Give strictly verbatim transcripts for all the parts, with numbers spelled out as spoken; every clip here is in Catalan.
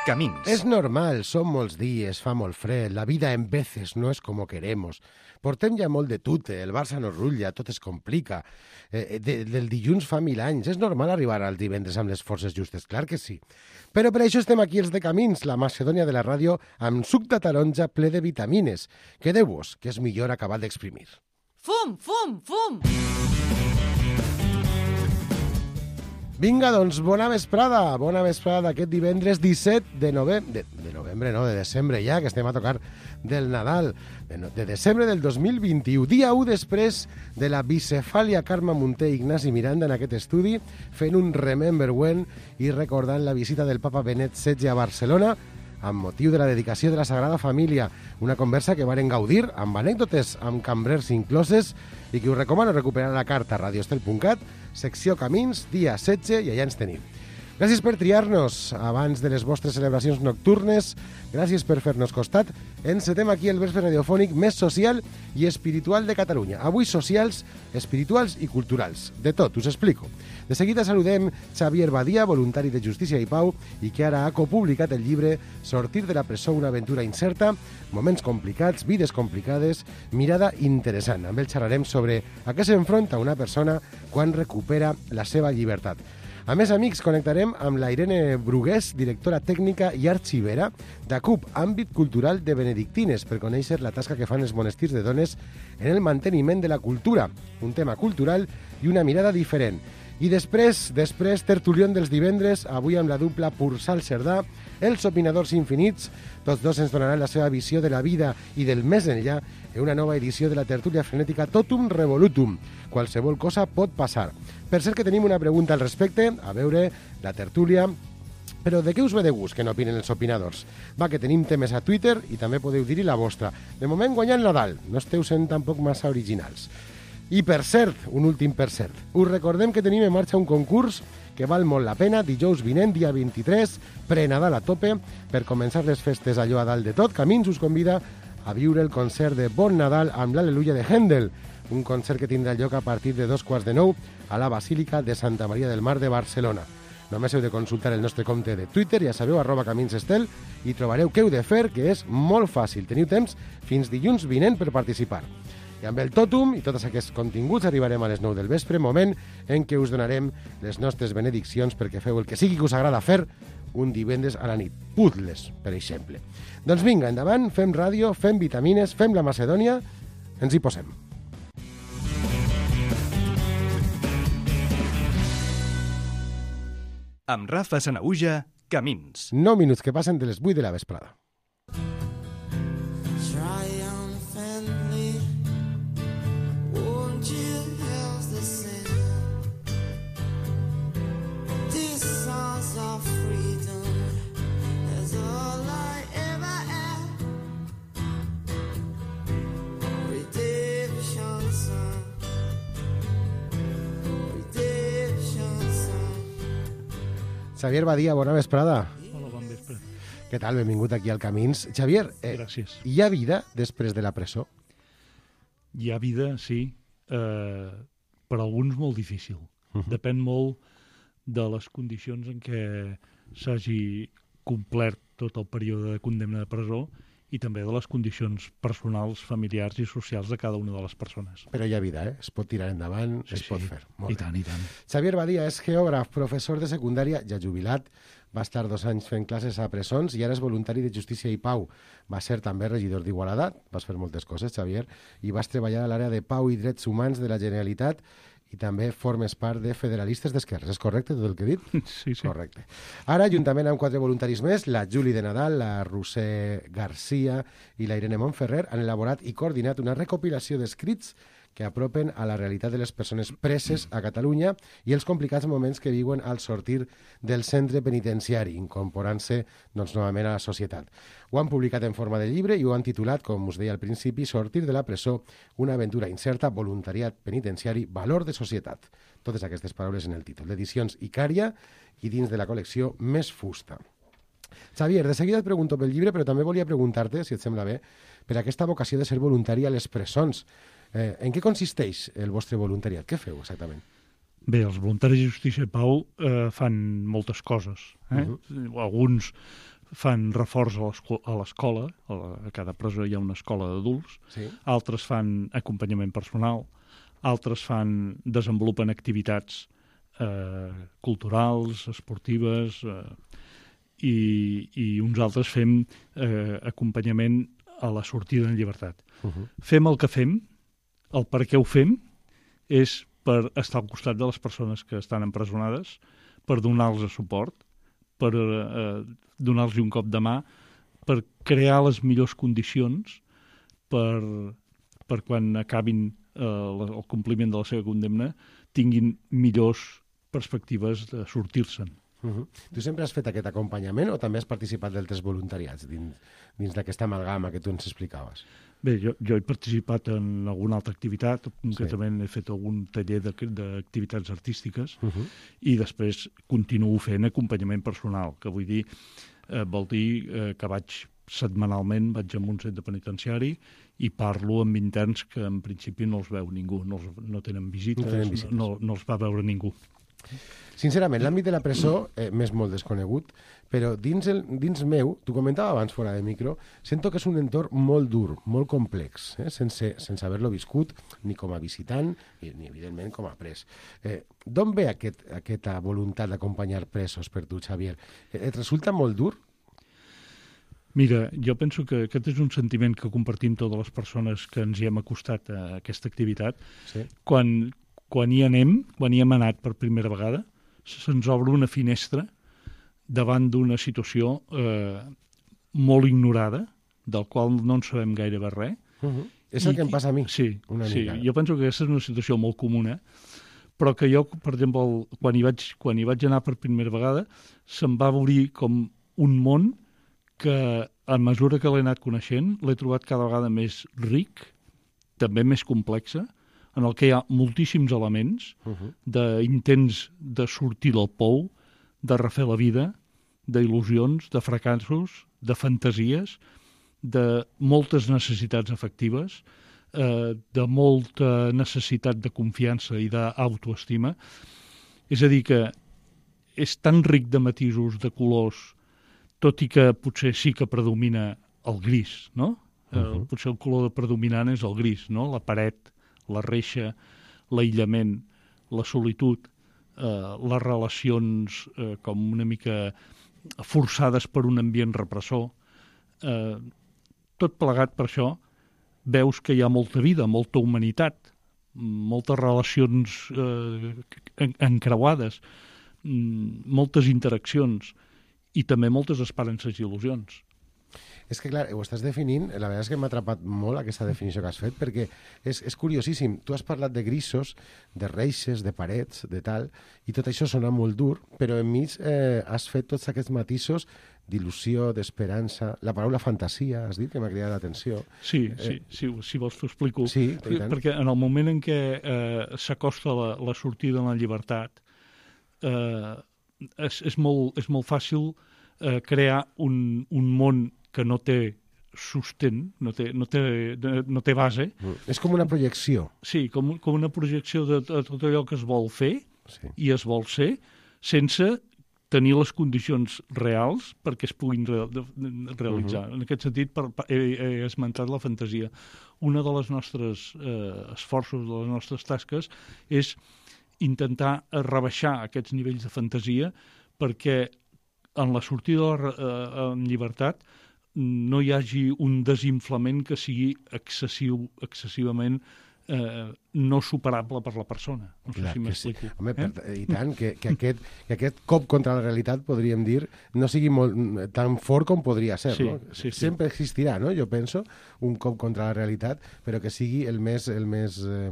Camins. Es normal, són molts dies, fa molt fred, la vida en veces no és com queremos. Portem ja molt de tute, el Barça no rutlla, tot es complica. Eh, de, del dilluns fa mil anys, és normal arribar al divendres amb les forces justes, clar que sí. Però per això estem aquí els de Camins, la Macedònia de la ràdio, amb suc de taronja ple de vitamines. Quedeu-vos, que és millor acabar d'exprimir. Fum, fum, fum! Vinga, doncs, bona vesprada, bona vesprada d'aquest divendres disset de novembre, de, de novembre, no, de desembre ja, que estem a tocar del Nadal, de, no, de desembre del dos mil vint-i-u, dia u després de la bicefàlia Carme Munté i Ignasi Miranda en aquest estudi, fent un Remember When i recordant la visita del papa Benet setze a Barcelona, amb motiu de la dedicació de la Sagrada Família, una conversa que varen gaudir amb anècdotes, amb cambrers incloses, i que us recomano recuperar a la carta radioestel punt cat, secció Camins, dia setze, i allà ens tenim. Gràcies per triar-nos abans de les vostres celebracions nocturnes, gràcies per fer-nos costat. Encetem aquí el vespre radiofònic més social i espiritual de Catalunya. Avui socials, espirituals i culturals. De tot, us explico. De seguida saludem Xavier Badia, voluntari de Justícia i Pau, i que ara ha copublicat el llibre Sortir de la presó, una aventura incerta, moments complicats, vides complicades, mirada interessant. Amb ell xerrarem sobre a què s'enfronta una persona quan recupera la seva llibertat. A més, amics, connectarem amb la Irene Brugués, directora tècnica i arxivera d'A C U P, àmbit cultural de benedictines, per conèixer la tasca que fan els monestirs de dones en el manteniment de la cultura, un tema cultural i una mirada diferent. I després, després, tertulion dels divendres, avui amb la dupla Pursal Cerdà, els opinadors infinits, tots dos ens donaran la seva visió de la vida i del més enllà en una nova edició de la tertúlia frenètica Totum Revolutum. Qualsevol cosa pot passar. Per cert que tenim una pregunta al respecte, a veure, la tertúlia. Però de què us ve de gust que no opinen els opinadors? Va, que tenim temes a Twitter i també podeu dir-hi la vostra. De moment guanya el Nadal, no esteu sent tampoc massa originals. I per cert, un últim per cert, us recordem que tenim en marxa un concurs que val molt la pena, dijous vinent, dia vint-i-tres, pre-Nadal a tope, per començar les festes allò a dalt de tot. Camins us convida a viure el concert de Bon Nadal amb l'Al·leluia de Händel, un concert que tindrà lloc a partir de dos quarts de nou a la Basílica de Santa Maria del Mar de Barcelona. Només heu de consultar el nostre compte de Twitter, ja sabeu, arroba caminsestel, i trobareu què heu de fer, que és molt fàcil. Teniu temps fins dilluns vinent per participar. I amb el tòtum i tots aquests continguts arribarem a les nou del vespre, moment en què us donarem les nostres benediccions perquè feu el que sigui que us agrada fer un divendres a la nit. Puzzles, per exemple. Doncs vinga, endavant, fem ràdio, fem vitamines, fem la Macedònia, ens hi posem. Amb Rafa Sanaüja, Camins. nou minuts que passen de les vuit de la vesprada. Xavier Badia, bona vesprada. Hola, bon vespre. Què tal? Benvingut aquí al Camins. Xavier, eh, Gràcies. hi ha vida després de la presó? Hi ha vida, sí, eh, per alguns molt difícil. Uh -huh. Depèn molt de les condicions en què s'hagi complert tot el període de condemna de presó i també de les condicions personals, familiars i socials de cada una de les persones. Però hi ha vida, eh? Es pot tirar endavant, Sí, es sí. pot fer. Molt I bé. tant, i tant. Xavier Badia és geògraf, professor de secundària, ja jubilat, va estar dos anys fent classes a presons i ara és voluntari de Justícia i Pau. Va ser també regidor d'Igualada, vas fer moltes coses, Xavier, i vas treballar a l'àrea de Pau i Drets Humans de la Generalitat i també formes part de Federalistes d'Esquerres. És correcte tot el que he dit? Sí, sí. Correcte. Ara, juntament amb quatre voluntaris més, la Juli de Nadal, la Roser Garcia i la Irene Montferrer, han elaborat i coordinat una recopilació d'escrits que apropen a la realitat de les persones preses a Catalunya i els complicats moments que viuen al sortir del centre penitenciari, incorporant-se doncs, novament a la societat. Ho han publicat en forma de llibre i ho han titulat, com us deia al principi, Sortir de la presó, una aventura incerta, voluntariat penitenciari, valor de societat. Totes aquestes paraules en el títol. D'edicions Icària i dins de la col·lecció Més Fusta. Xavier, de seguida et pregunto pel llibre, però també volia preguntar-te, si et sembla bé, per aquesta vocació de ser voluntari a les presons. Eh, en què consisteix el vostre voluntariat? Què feu exactament? Bé, els voluntaris de Justícia i Pau eh, fan moltes coses. Eh? Uh-huh. Alguns fan reforç a l'esco- a l'escola, a, la, a cada presó hi ha una escola d'adults, Sí. altres fan acompanyament personal, altres fan, desenvolupen activitats eh, culturals, esportives, eh, i, i uns altres fem eh, acompanyament a la sortida en llibertat. Uh -huh. Fem el que fem, el per què ho fem, és per estar al costat de les persones que estan empresonades, per donar-los suport, per eh, donar-los un cop de mà, per crear les millors condicions per, per quan acabin eh, el compliment de la seva condemna, tinguin millors perspectives de sortir-se'n. Uh -huh. Tu sempre has fet aquest acompanyament o també has participat d'altres voluntariats dins, dins d'aquesta amalgama que tu ens explicaves? Bé, jo, jo he participat en alguna altra activitat, concretament sí. he fet algun taller d'activitats artístiques uh -huh. i després continuo fent acompanyament personal, que vull dir, eh, vol dir eh, que vaig setmanalment, vaig a un centre penitenciari i parlo amb interns que en principi no els veu ningú, no, els, no tenen visites, no, tenen visites. no, no els va veure ningú. Sincerament, l'àmbit de la presó eh, m'és molt desconegut, però dins, el, dins meu, tu comentava abans fora de micro, sento que és un entorn molt dur, molt complex, eh, sense, sense haver-lo viscut ni com a visitant ni, ni evidentment com a pres. Eh, D'on ve aquest, aquesta voluntat d'acompanyar presos per tu, Xavier? Eh, et resulta molt dur? Mira, jo penso que aquest és un sentiment que compartim totes les persones que ens hi hem acostat a aquesta activitat. Sí. Quan, quan hi anem, quan hi hem anat per primera vegada, se'ns obre una finestra davant d'una situació eh, molt ignorada, del qual no en sabem gairebé res. Uh -huh. És el I, que em passa a mi. Sí, una sí, mica. jo penso que aquesta és una situació molt comuna, però que jo, per exemple, quan hi vaig, quan hi vaig anar per primera vegada, se'm va obrir com un món que, a mesura que l'he anat coneixent, l'he trobat cada vegada més ric, també més complexa, en el que hi ha moltíssims elements Uh -huh. d'intents de sortir del pou, de refer la vida, d'il·lusions, de fracassos, de fantasies, de moltes necessitats afectives, eh, de molta necessitat de confiança i d'autoestima. És a dir, que és tan ric de matisos, de colors, tot i que potser sí que predomina el gris, no? Uh -huh. eh, potser el color predominant és el gris, no? La paret, la reixa, l'aïllament, la solitud, eh, les relacions eh, com una mica forçades per un ambient repressor. Eh, tot plegat per això, veus que hi ha molta vida, molta humanitat, moltes relacions eh, encreuades, moltes interaccions i també moltes esperances i il·lusions. És que, clar, ho estàs definint, la veritat és que m'ha atrapat molt aquesta definició que has fet, perquè és, és curiosíssim. Tu has parlat de grisos, de reixes, de parets, de tal, i tot això sona molt dur, però enmig eh, has fet tots aquests matisos d'il·lusió, d'esperança, la paraula fantasia, has dit, que m'ha cridat l'atenció. Sí, eh, sí, sí, si vols t'ho explico. Sí, per, perquè en el moment en què eh, s'acosta la, la sortida en la llibertat, eh, és, és, molt, és molt fàcil eh, crear un, un món que no té sostén, no té, no té, no té base. Mm. És com una projecció. Sí, com, com una projecció de, de tot allò que es vol fer sí. i es vol ser, sense tenir les condicions reals perquè es puguin re, de, de, realitzar. Uh -huh. En aquest sentit, per, per, he, he esmentat la fantasia. Una de les nostres eh, esforços, de les nostres tasques, és intentar rebaixar aquests nivells de fantasia perquè en la sortida eh, en llibertat no hi hagi un desinflament que sigui excessiu, excessivament eh, no superable per la persona. No sé Clar, si m'explico. Sí. Home, eh? per, i tant, que, que, aquest, que aquest cop contra la realitat, podríem dir, no sigui molt, tan fort com podria ser. Sí, no? sí, sí. Sempre existirà, no? Jo penso, un cop contra la realitat, però que sigui el més... El més eh,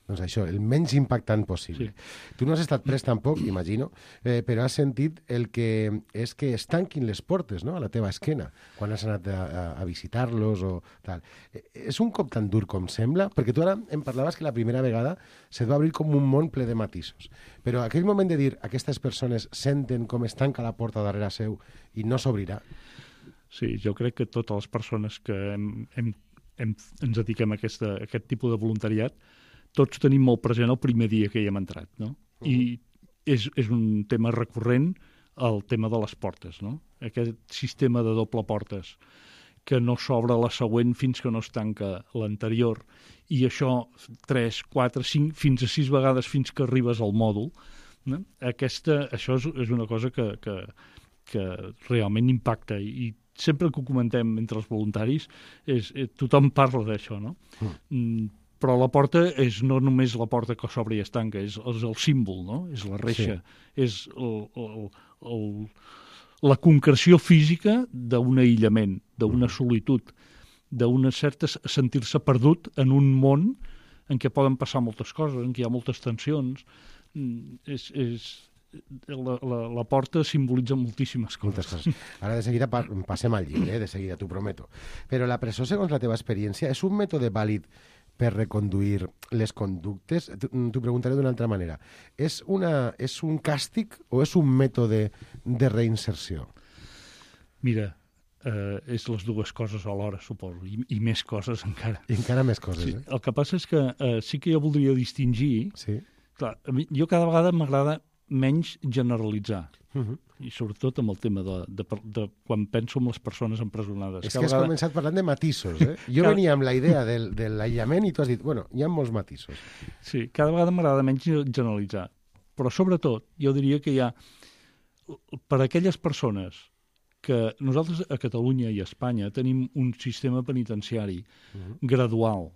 doncs això, el menys impactant possible. Sí. Tu no has estat pres tampoc, imagino, eh, però has sentit el que és que es tanquin les portes, no?, a la teva esquena, quan has anat a, a, a visitar-los o tal. Eh, és un cop tan dur com sembla? Perquè tu ara em parlaves que la primera vegada se't va obrir com un món ple de matisos. Però aquell moment de dir aquestes persones senten com es tanca la porta darrere seu i no s'obrirà. Sí, jo crec que totes les persones que hem, hem, hem, ens dediquem a, aquesta, a aquest tipus de voluntariat tots tenim molt present el primer dia que hi hem entrat, no? Uh -huh. I és, és un tema recurrent el tema de les portes, no? Aquest sistema de doble portes, que no s'obre la següent fins que no es tanca l'anterior, i això tres, quatre, cinc, fins a sis vegades fins que arribes al mòdul. No? Aquesta, això és, és una cosa que, que, que realment impacta, i, i sempre que ho comentem entre els voluntaris, és, és, tothom parla d'això, no? Mm. Però la porta és no només la porta que s'obre i es tanca, és, és el símbol, no? És la reixa, sí. És el, el, el, la concreció física d'un aïllament, d'una solitud, d'una certa sentir-se perdut en un món en què poden passar moltes coses, en què hi ha moltes tensions. És, és, la, la, la porta simbolitza moltíssimes coses. Moltes coses. Ara de seguida pa passem al llibre, eh? De seguida, t'ho prometo. Però la presó, segons la teva experiència, és un mètode vàlid per reconduir les conductes? T'ho preguntaré d'una altra manera. És, una, és un càstig o és un mètode de reinserció? Mira, eh, és les dues coses alhora, suposo, i, i més coses encara. I encara més coses, sí, eh? El que passa és que eh, sí que jo voldria distingir... Sí. Clar, a mi, jo cada vegada m'agrada menys generalitzar, uh -huh. i sobretot amb el tema de, de, de, de quan penso en les persones empresonades. És cada que has vegada... començat parlant de matisos, eh? Jo cada... venia amb la idea del, de l'aïllament i tu has dit, bueno, hi ha molts matisos. Sí, cada vegada m'agrada menys generalitzar, però sobretot jo diria que hi ha, per a aquelles persones que nosaltres a Catalunya i a Espanya tenim un sistema penitenciari uh -huh. gradual,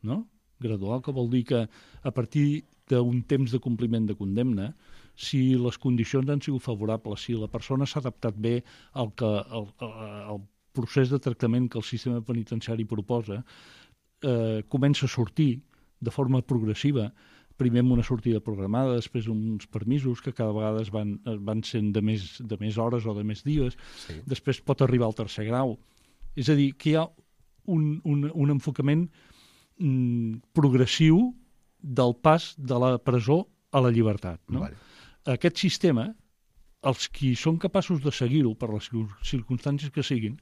no? Gradual, que vol dir que a partir d'un temps de compliment de condemna, si les condicions han sigut favorables, si la persona s'ha adaptat bé al, que, al, al procés de tractament que el sistema penitenciari proposa, eh, comença a sortir de forma progressiva, primer amb una sortida programada, després uns permisos que cada vegada es van, van sent de més, de més hores o de més dies, sí. Després pot arribar al tercer grau. És a dir, que hi ha un, un, un enfocament mm, progressiu del pas de la presó a la llibertat. No? Vale. Aquest sistema, els qui són capaços de seguir-ho per les circumstàncies que siguin,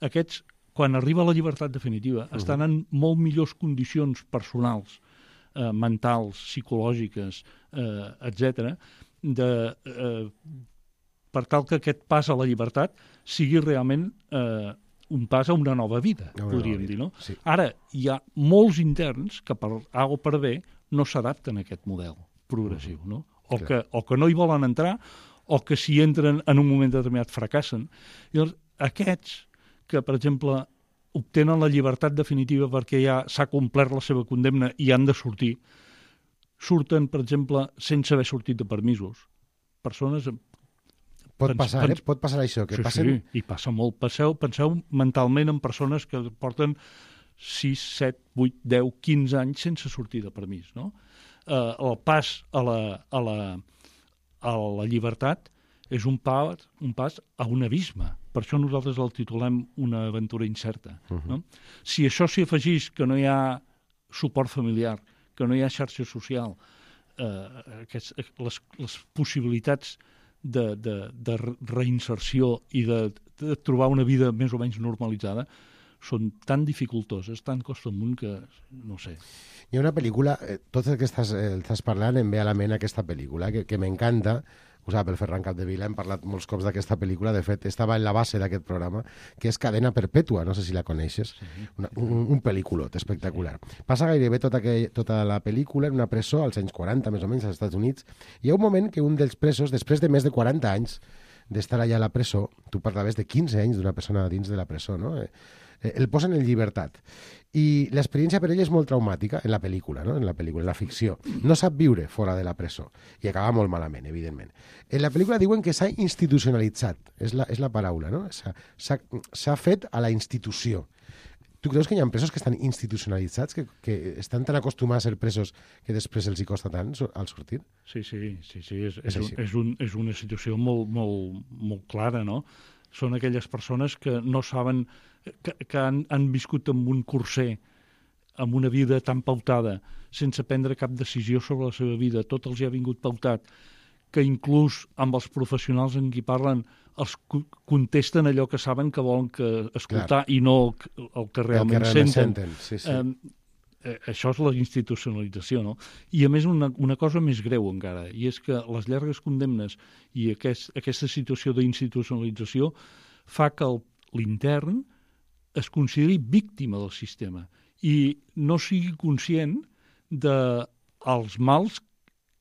aquests, quan arriba a la llibertat definitiva, uh-huh. estan en molt millors condicions personals, eh, mentals, psicològiques, eh, etcètera, de, eh, per tal que aquest pas a la llibertat sigui realment eh, un pas a una nova vida, una podríem nova dir, no? Sí. Ara, hi ha molts interns que per A o per B no s'adapten a aquest model progressiu, uh-huh. no? O que, o que no hi volen entrar, o que si entren en un moment determinat fracassen. Llavors, aquests que, per exemple, obtenen la llibertat definitiva perquè ja s'ha complert la seva condemna i han de sortir, surten, per exemple, sense haver sortit de permisos. Persones... Pot pens, passar, pens... eh? Pot passar això. Que sí, passen... sí, i passa molt. Penseu, penseu mentalment en persones que porten sis, set, vuit, deu, quinze anys sense sortir de permís, no? Uh, el pas a la, a, la, a la llibertat és un pas, un pas a un abisme. Per això nosaltres el titulem una aventura incerta. Uh-huh. No? Si això s'hi afegís que no hi ha suport familiar, que no hi ha xarxa social, eh, aquests, les, les possibilitats de, de, de reinserció i de, de trobar una vida més o menys normalitzada són tan dificultoses, tan costa amunt que no sé. Hi ha una pel·lícula, eh, tot el que estàs, eh, estàs parlant em ve a la ment aquesta pel·lícula, que, que m'encanta, ho sap el Ferran Capdevila, hem parlat molts cops d'aquesta pel·lícula, de fet estava en la base d'aquest programa, que és Cadena Perpètua, no sé si la coneixes, sí. una, un, un pel·lículot espectacular. Sí. Passa gairebé tota, aquell, tota la pel·lícula en una presó als anys quaranta, més o menys, als Estats Units. Hi ha un moment que un dels presos, després de més de quaranta anys d'estar allà a la presó, tu parlaves de quinze anys d'una persona dins de la presó, no? Eh, el posen en llibertat. I l'experiència per ell és molt traumàtica en la pel·lícula, no? en la pel·lícula, en la ficció. No sap viure fora de la presó i acaba molt malament, evidentment. En la pel·lícula diuen que s'ha institucionalitzat, és la, és la paraula, no? S'ha fet a la institució. Tu creus que hi ha presos que estan institucionalitzats, que, que estan tan acostumats a ser presos que després els hi costa tant al sortir? Sí, sí, sí, sí. És, és, un, és, un, és una situació molt, molt, molt clara, no? Són aquelles persones que no saben, que, que han, han viscut amb un curser, amb una vida tan pautada, sense prendre cap decisió sobre la seva vida. Tot els hi ha vingut pautat, que inclús amb els professionals en qui parlen els contesten allò que saben que volen que escoltar. Clar. I no el que realment, el que realment senten. senten. Sí, sí. Eh, eh, això és la institucionalització, no? I, a més, una, una cosa més greu encara, i és que les llargues condemnes i aquest, aquesta situació d'institucionalització fa que el, l'intern es consideri víctima del sistema i no sigui conscient dels mals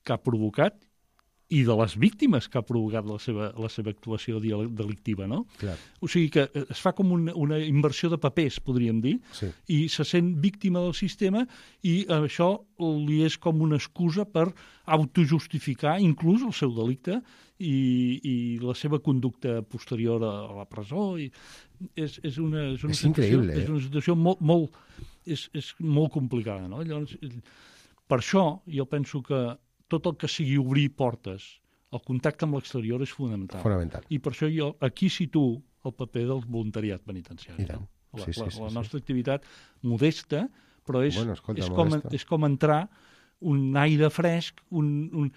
que ha provocat i de les víctimes que ha provocat la seva, la seva actuació delictiva, no? Clar. O sigui que es fa com una, una inversió de papers, podríem dir, Sí. i se sent víctima del sistema i això li és com una excusa per autojustificar inclús el seu delicte i, i la seva conducta posterior a, a la presó. I és, és una, és una És situació, increïble, eh? és una situació molt, molt, és, és molt complicada, no? Llavors, per això jo penso que tot el que sigui obrir portes, el contacte amb l'exterior és fonamental. Fonamental. I per això jo aquí situo el paper del voluntariat penitenciari. I tant. No? La, Sí, sí, la, sí, la sí. nostra activitat modesta, però és, Bueno, escolta, és, com, modesta. és com entrar un aire fresc, un, un,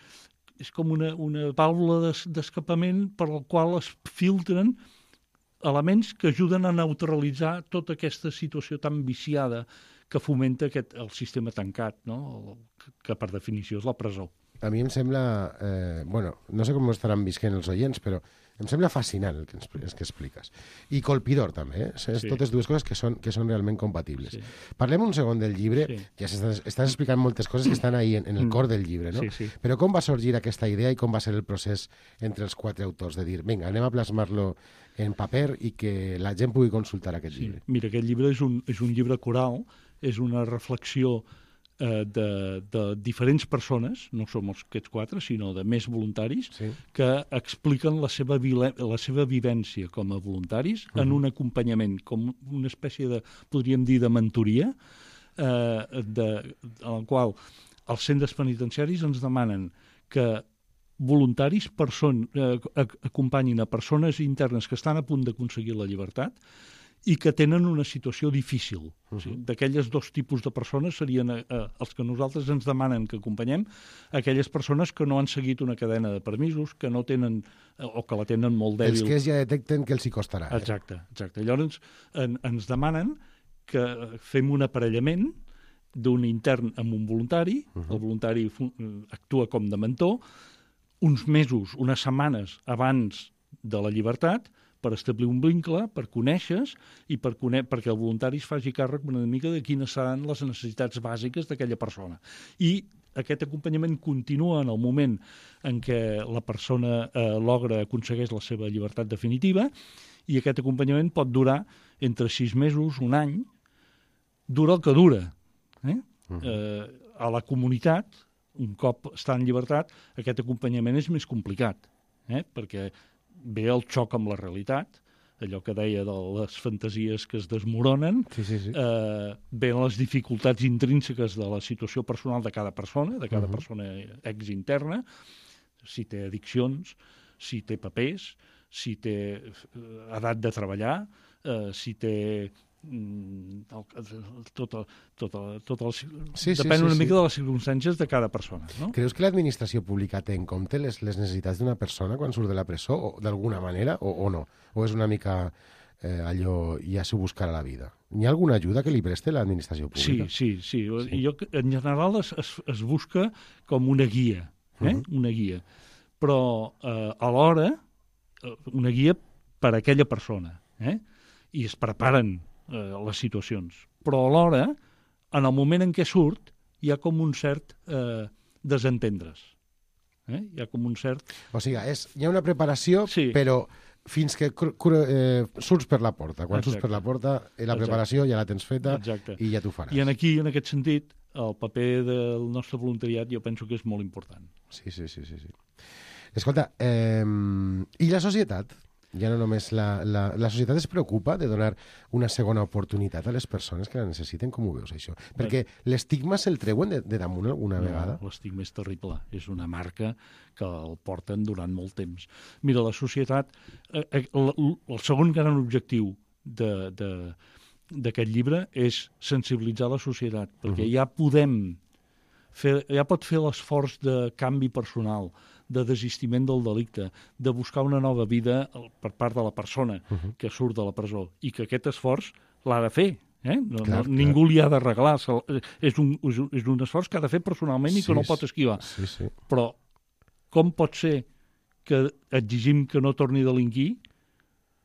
és com una, una vàlvula des, d'escapament per la qual es filtren elements que ajuden a neutralitzar tota aquesta situació tan viciada que fomenta aquest, el sistema tancat, no? El, que, que per definició és la presó. A mi em sembla... Eh, bueno, no sé com ho estaran visquent els oients, però em sembla fascinant el que, ens, el que expliques. I colpidor, també. Eh? És Sí. totes dues coses que són, que són realment compatibles. Sí. Parlem un segon del llibre. Sí. Ja estàs, estàs explicant moltes coses que estan ahí en, en el Mm. cor del llibre, no? Sí, sí. Però com va sorgir aquesta idea i com va ser el procés entre els quatre autors de dir, vinga, anem a plasmar-lo en paper i que la gent pugui consultar aquest Sí. llibre? Mira, aquest llibre és un, és un llibre coral, és una reflexió eh, de, de diferents persones, no som els aquests quatre, sinó de més voluntaris, Sí. que expliquen la seva, vile, la seva vivència com a voluntaris uh -huh. en un acompanyament, com una espècie de, podríem dir, de mentoria, eh, de, en el qual els centres penitenciaris ens demanen que voluntaris person, eh, acompanyin a persones internes que estan a punt d'aconseguir la llibertat i que tenen una situació difícil. Uh-huh. O sigui, d'aquelles dos tipus de persones serien eh, els que nosaltres ens demanen que acompanyem, aquelles persones que no han seguit una cadena de permisos, que no tenen, eh, o que la tenen molt dèbil. Els que ja detecten que els hi costarà. Eh? Exacte, exacte. Llavors en, ens demanen que fem un aparellament d'un intern amb un voluntari, uh-huh. El voluntari actua com de mentor, uns mesos, unes setmanes abans de la llibertat, per establir un vincle, per conèixer i per cone perquè el voluntari es faci càrrec una mica de quines seran les necessitats bàsiques d'aquella persona. I aquest acompanyament continua en el moment en què la persona eh, logra, aconsegueix la seva llibertat definitiva, i aquest acompanyament pot durar entre sis mesos, un any, dura el que dura. Eh? Uh-huh. eh, a la comunitat, un cop està en llibertat, aquest acompanyament és més complicat, eh? Perquè ve el xoc amb la realitat, allò que deia de les fantasies que es desmoronen, sí, sí, sí. Eh, ven les dificultats intrínseques de la situació personal de cada persona, de cada uh-huh. persona ex-interna, si té addiccions, si té papers, si té edat de treballar, eh, si té... tot, tot, tot el, sí, depèn sí, una sí, mica sí. de les circumstàncies de cada persona, no? Creus que l'administració pública té en compte les, les necessitats d'una persona quan surt de la presó, o d'alguna manera, o, o no? O és una mica eh, allò, ja s'ho buscarà la vida? Hi ha alguna ajuda que li preste l'administració pública? Sí, sí, sí. sí. Jo, en general es, es, es busca com una guia, eh? Uh-huh. Una guia. Però eh, alhora, una guia per a aquella persona, eh? I es preparen eh, les situacions. Però alhora, en el moment en què surt, hi ha com un cert eh, desentendre's. Eh? Hi ha com un cert... O sigui, és, hi ha una preparació, sí. Però fins que eh, surts per la porta. Quan Exacte. surts per la porta, eh, la Exacte. preparació ja la tens feta Exacte. I ja t'ho faràs. I en aquí, en aquest sentit, el paper del nostre voluntariat jo penso que és molt important. Sí, sí, sí. sí, sí. Escolta, eh, i la societat? Ja no només la, la, la societat es preocupa de donar una segona oportunitat a les persones que la necessiten, com ho veus, això? Perquè l'estigma se'l treuen de, de damunt alguna no, vegada? L'estigma és terrible. És una marca que el porten durant molt temps. Mira, la societat... Eh, el, el segon gran objectiu d'aquest llibre és sensibilitzar la societat, perquè uh-huh. ja podem fer, ja pot fer l'esforç de canvi personal, de desistiment del delicte, de buscar una nova vida per part de la persona uh-huh. que surt de la presó, i que aquest esforç l'ha de fer, Eh? No, Clar, no, clar. ningú li ha d'arreglar. És un, és un esforç que ha de fer personalment i Sí, que no pot esquivar. Sí, sí. Però com pot ser que exigim que no torni a delinquir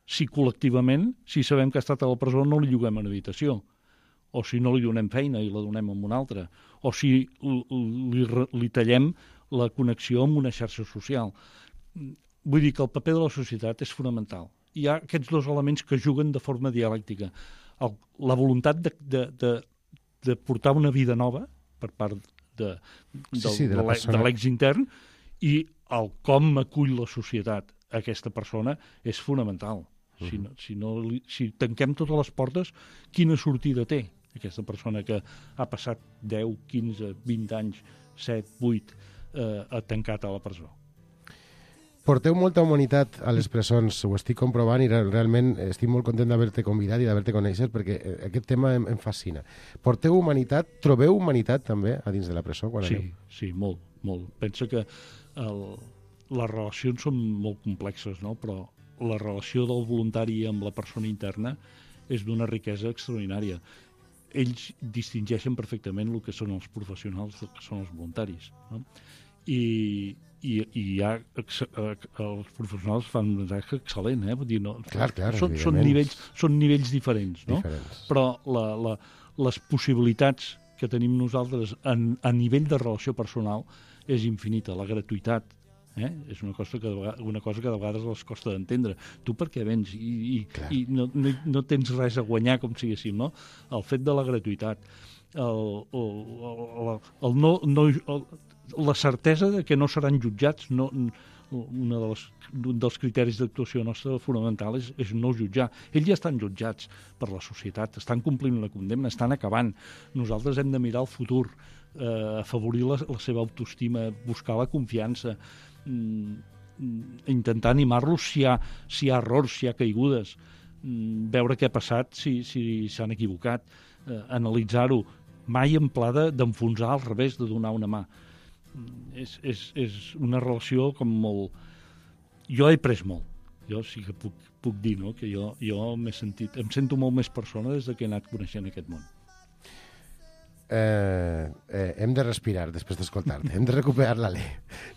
si col·lectivament, si sabem que ha estat a la presó, no li lloguem una habitació, o si no li donem feina i la donem a una altra, o si li, li tallem la connexió amb una xarxa social. Vull dir que el paper de la societat és fonamental. Hi ha aquests dos elements que juguen de forma dialèctica. El, la voluntat de, de, de, de portar una vida nova per part de, de, sí, sí, de, la de l'ex intern i el com acull la societat a aquesta persona és fonamental. Si, no, si, no, si tanquem totes les portes, quina sortida té aquesta persona que ha passat deu, quinze, vint anys, set, vuit, eh, tancat a la presó? Porteu molta humanitat a les presons, ho estic comprovant i realment estic molt content d'haver-te convidat i d'haver-te conèixer perquè aquest tema em, em fascina. Porteu humanitat, trobeu humanitat també a dins de la presó? Quan sí, aneu? sí, molt, molt. Pensa que el, les relacions són molt complexes, no? Però la relació del voluntari amb la persona interna és d'una riquesa extraordinària. Ells distingeixen perfectament el que són els professionals del que són els voluntaris, no? I, i, i hi ha, els professionals fan un tasca excel·lent, eh? Vull dir, no, clar, clar, són, són, nivells, són nivells diferents, no? Diferents. Però la, la, les possibilitats que tenim nosaltres en, a nivell de relació personal és infinita. La gratuïtat, eh? És una cosa que, una cosa que de vegades els costa d'entendre. Tu per què vens? I, i, i no, no, no tens res a guanyar, com siguéssim, no? El fet de la gratuïtat, el, el, el, el no, no, el, la certesa de que no seran jutjats, no, una de les, un dels criteris d'actuació nostra fonamental és, és no jutjar. Ells ja estan jutjats per la societat, estan complint una condemna, estan acabant. Nosaltres hem de mirar el futur, eh, afavorir la, la seva autoestima, buscar la confiança, intentar animar-los si hi ha, si hi ha errors, si hi ha caigudes, veure què ha passat, si si s'han equivocat, eh, analitzar-ho, mai en pla d'enfonsar al revés, de donar una mà. És, és, és una relació com molt... Jo he pres molt, jo sí que puc, puc dir, no? Que jo, jo m'he sentit, em sento molt més persona des de que he anat coneixent aquest món. Eh, eh, hem de respirar després d'escoltar-te, hem de recuperar l'alè.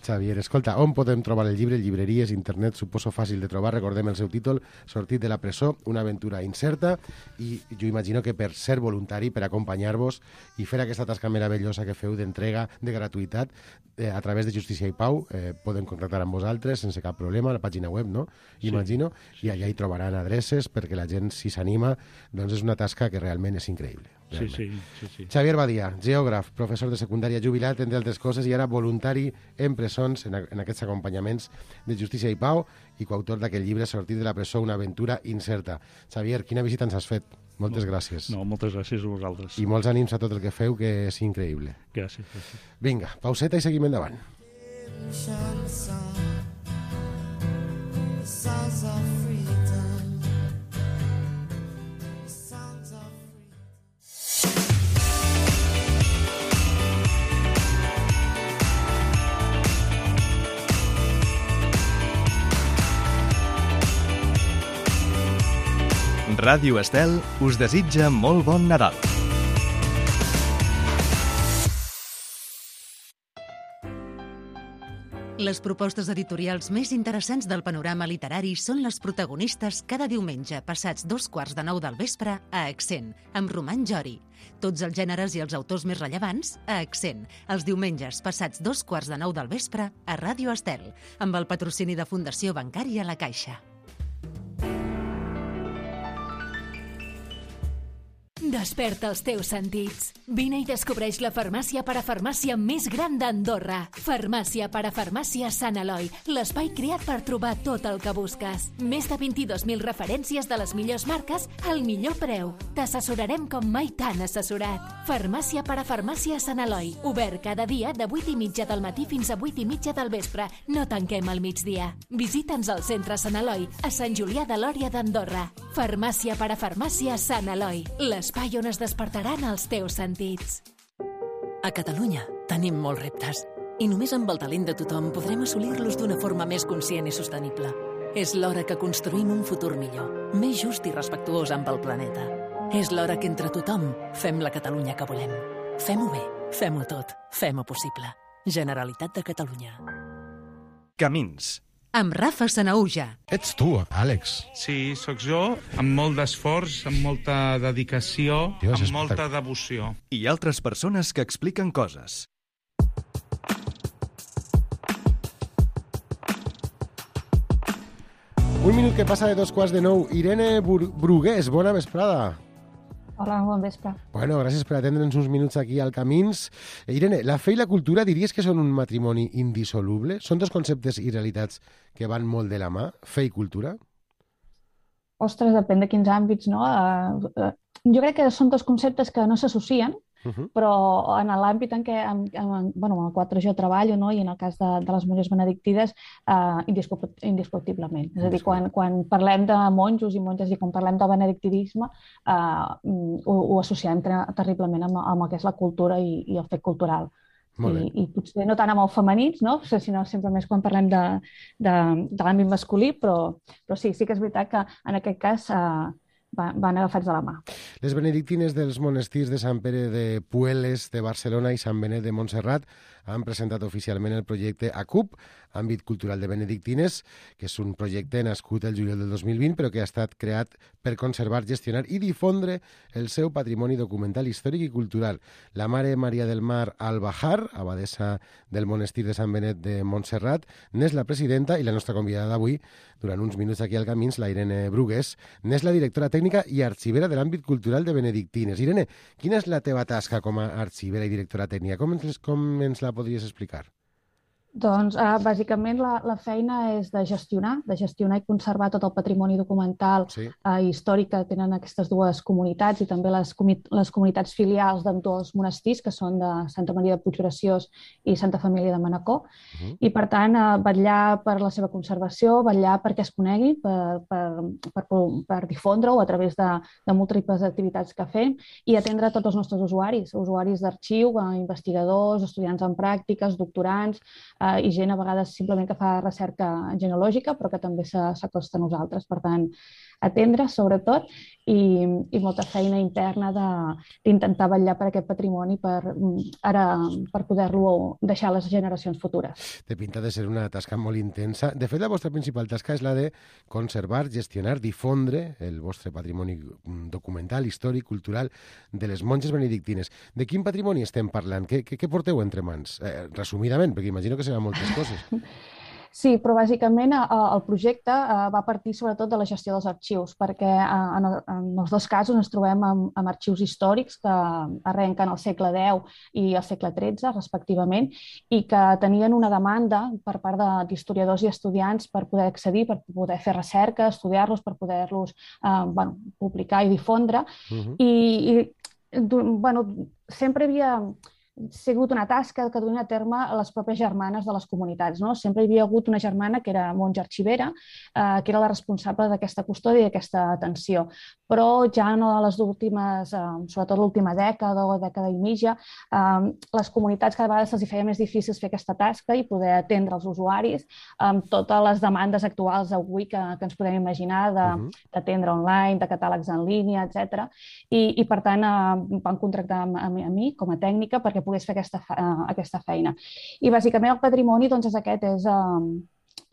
Xavier, escolta, on podem trobar el llibre? Llibreries, internet, suposo fàcil de trobar, recordem el seu títol, Sortit de la presó, una aventura incerta, i jo imagino que per ser voluntari, per acompanyar-vos i fer aquesta tasca meravellosa que feu d'entrega, de gratuïtat, eh, a través de Justícia i Pau, eh, podem contactar amb vosaltres sense cap problema, a la pàgina web, no? Sí, Imagino, sí, i allà hi trobaran adreces perquè la gent, si s'anima, doncs és una tasca que realment és increïble. Sí, sí, sí, sí. Xavier Badia, geògraf, professor de secundària jubilat, entre altres coses, i ara voluntari en presons, en, en aquests acompanyaments de Justícia i Pau, i coautor d'aquest llibre Sortit de la presó, una aventura incerta. Xavier, quina visita ens has fet? Moltes no, gràcies. No, moltes gràcies a vosaltres. I molts ànims a tot el que feu, que és increïble. Gràcies, gràcies. Vinga, pauseta i seguim endavant. Ràdio Estel us desitja molt bon Nadal. Les propostes editorials més interessants del panorama literari són les protagonistes cada diumenge passats dos quarts de nou del vespre a Accent, amb Roman Jori. Tots els gèneres i els autors més rellevants a Accent, els diumenges passats dos quarts de nou del vespre a Ràdio Estel, amb el patrocini de Fundació Bancària La Caixa. Desperta els teus sentits. Vine i descobreix la farmàcia parafarmàcia més gran d'Andorra. Farmàcia parafarmàcia Sant Eloi, l'espai creat per trobar tot el que busques. Més de vint-i-dos mil referències de les millors marques al millor preu. T'assessorarem com mai t'han assessorat. Farmàcia parafarmàcia Sant Eloi, obert cada dia de vuit i mitja del matí fins a vuit i mitja del vespre. No tanquem al migdia. Visita'ns al centre Sant Eloi, a Sant Julià de Lòria d'Andorra. Farmàcia parafarmàcia Sant Eloi, l'espai on es despertaran els teus sentits. A Catalunya tenim molts reptes i només amb el talent de tothom podrem assolir-los d'una forma més conscient i sostenible. És l'hora que construïm un futur millor, més just i respectuós amb el planeta. És l'hora que entre tothom fem la Catalunya que volem. Fem-ho bé, fem-ho tot, fem-ho possible. Generalitat de Catalunya. Camins. Amb Rafa Sanaúja. Ets tu, Àlex. Sí, sóc jo, amb molt d'esforç, amb molta dedicació, Dios, amb espectac- molta devoció. I altres persones que expliquen coses. Un minut que passa de dos quarts de nou. Irene Bur- Brugués, bona vesprada. Hola, bon vespre. Bueno, gràcies per atendre'ns uns minuts aquí al Camins. Eh, Irene, la fe i la cultura diries que són un matrimoni indissoluble? Són dos conceptes i realitats que van molt de la mà, fe i cultura? Ostres, depèn de quins àmbits, no? Uh, uh, jo crec que són dos conceptes que no s'associen, Uh -huh. però en l'àmbit en què, en, en, bueno, en el qual jo treballo, no? I en el cas de, de les monges benedictines, uh, indiscu- indiscutiblement. És a dir, quan, quan parlem de monjos i monges i quan parlem de benedictinisme, uh, ho, ho associem ter- terriblement amb, amb el que és la cultura i, i el fet cultural. Molt bé. I, I potser no tant amb el femenins, no? Sinó sempre més quan parlem de, de, de l'àmbit masculí, però, però sí, sí que és veritat que en aquest cas uh, van agafats de la mà. Les benedictines dels monestirs de Sant Pere de Pueles de Barcelona i Sant Benet de Montserrat han presentat oficialment el projecte A C U P, Àmbit Cultural de Benedictines, que és un projecte nascut el juliol del dos mil vint, però que ha estat creat per conservar, gestionar i difondre el seu patrimoni documental, històric i cultural. La mare Maria del Mar Al-Bahar, abadessa del monestir de Sant Benet de Montserrat, n'és la presidenta i la nostra convidada d'avui, durant uns minuts aquí al Camins, la Irene Brugués, n'és la directora tècnica i arxivera de l'àmbit cultural de Benedictines. Irene, quina és la teva tasca com a arxivera i directora tècnica? Com ens, com ens la podries explicar? Doncs, uh, bàsicament, la, la feina és de gestionar, de gestionar i conservar tot el patrimoni documental Sí. uh, i històric que tenen aquestes dues comunitats i també les, comi les comunitats filials d'ambdós monestirs, que són de Santa Maria de Puiggraciós i Santa Família de Manacor. Uh -huh. I, per tant, uh, vetllar per la seva conservació, vetllar perquè es conegui, per, per, per, per difondre-ho a través de, de múltiples activitats que fem i atendre tots els nostres usuaris, usuaris d'arxiu, uh, investigadors, estudiants en pràctiques, doctorants, uh, i gent a vegades simplement que fa recerca genealògica, però que també s'acosta a nosaltres. Per tant, atendre, sobretot, i, i molta feina interna d'intentar vetllar per aquest patrimoni per, ara, per poder-lo deixar a les generacions futures. Té pinta de ser una tasca molt intensa. De fet, la vostra principal tasca és la de conservar, gestionar, difondre el vostre patrimoni documental, històric, cultural de les monges benedictines. De quin patrimoni estem parlant? Què, què, què porteu entre mans? Eh, resumidament, perquè imagino que seran moltes coses. Sí, però bàsicament el projecte va partir sobretot de la gestió dels arxius, perquè en els dos casos ens trobem amb, amb arxius històrics que arrenquen al segle deu i al segle tretze, respectivament, i que tenien una demanda per part d'historiadors i estudiants per poder accedir, per poder fer recerca, estudiar-los, per poder-los eh, bueno, publicar i difondre. Uh-huh. I, i bueno, sempre havia sigut una tasca que duien a terme les pròpies germanes de les comunitats, no? Sempre hi havia hagut una germana que era monja arxivera, eh, que era la responsable d'aquesta custòdia i d'aquesta atenció. Però ja en les últimes, eh, sobretot l'última dècada o dècada i mitja, eh, les comunitats cada vegada se'ls feia més difícil fer aquesta tasca i poder atendre els usuaris amb totes les demandes actuals avui que, que ens podem imaginar d'atendre uh-huh. online, de catàlegs en línia, etcètera. I, i per tant eh, van contractar a, a mi com a tècnica perquè pogués fer aquesta, uh, aquesta feina. I bàsicament el patrimoni doncs, és aquest, és, uh,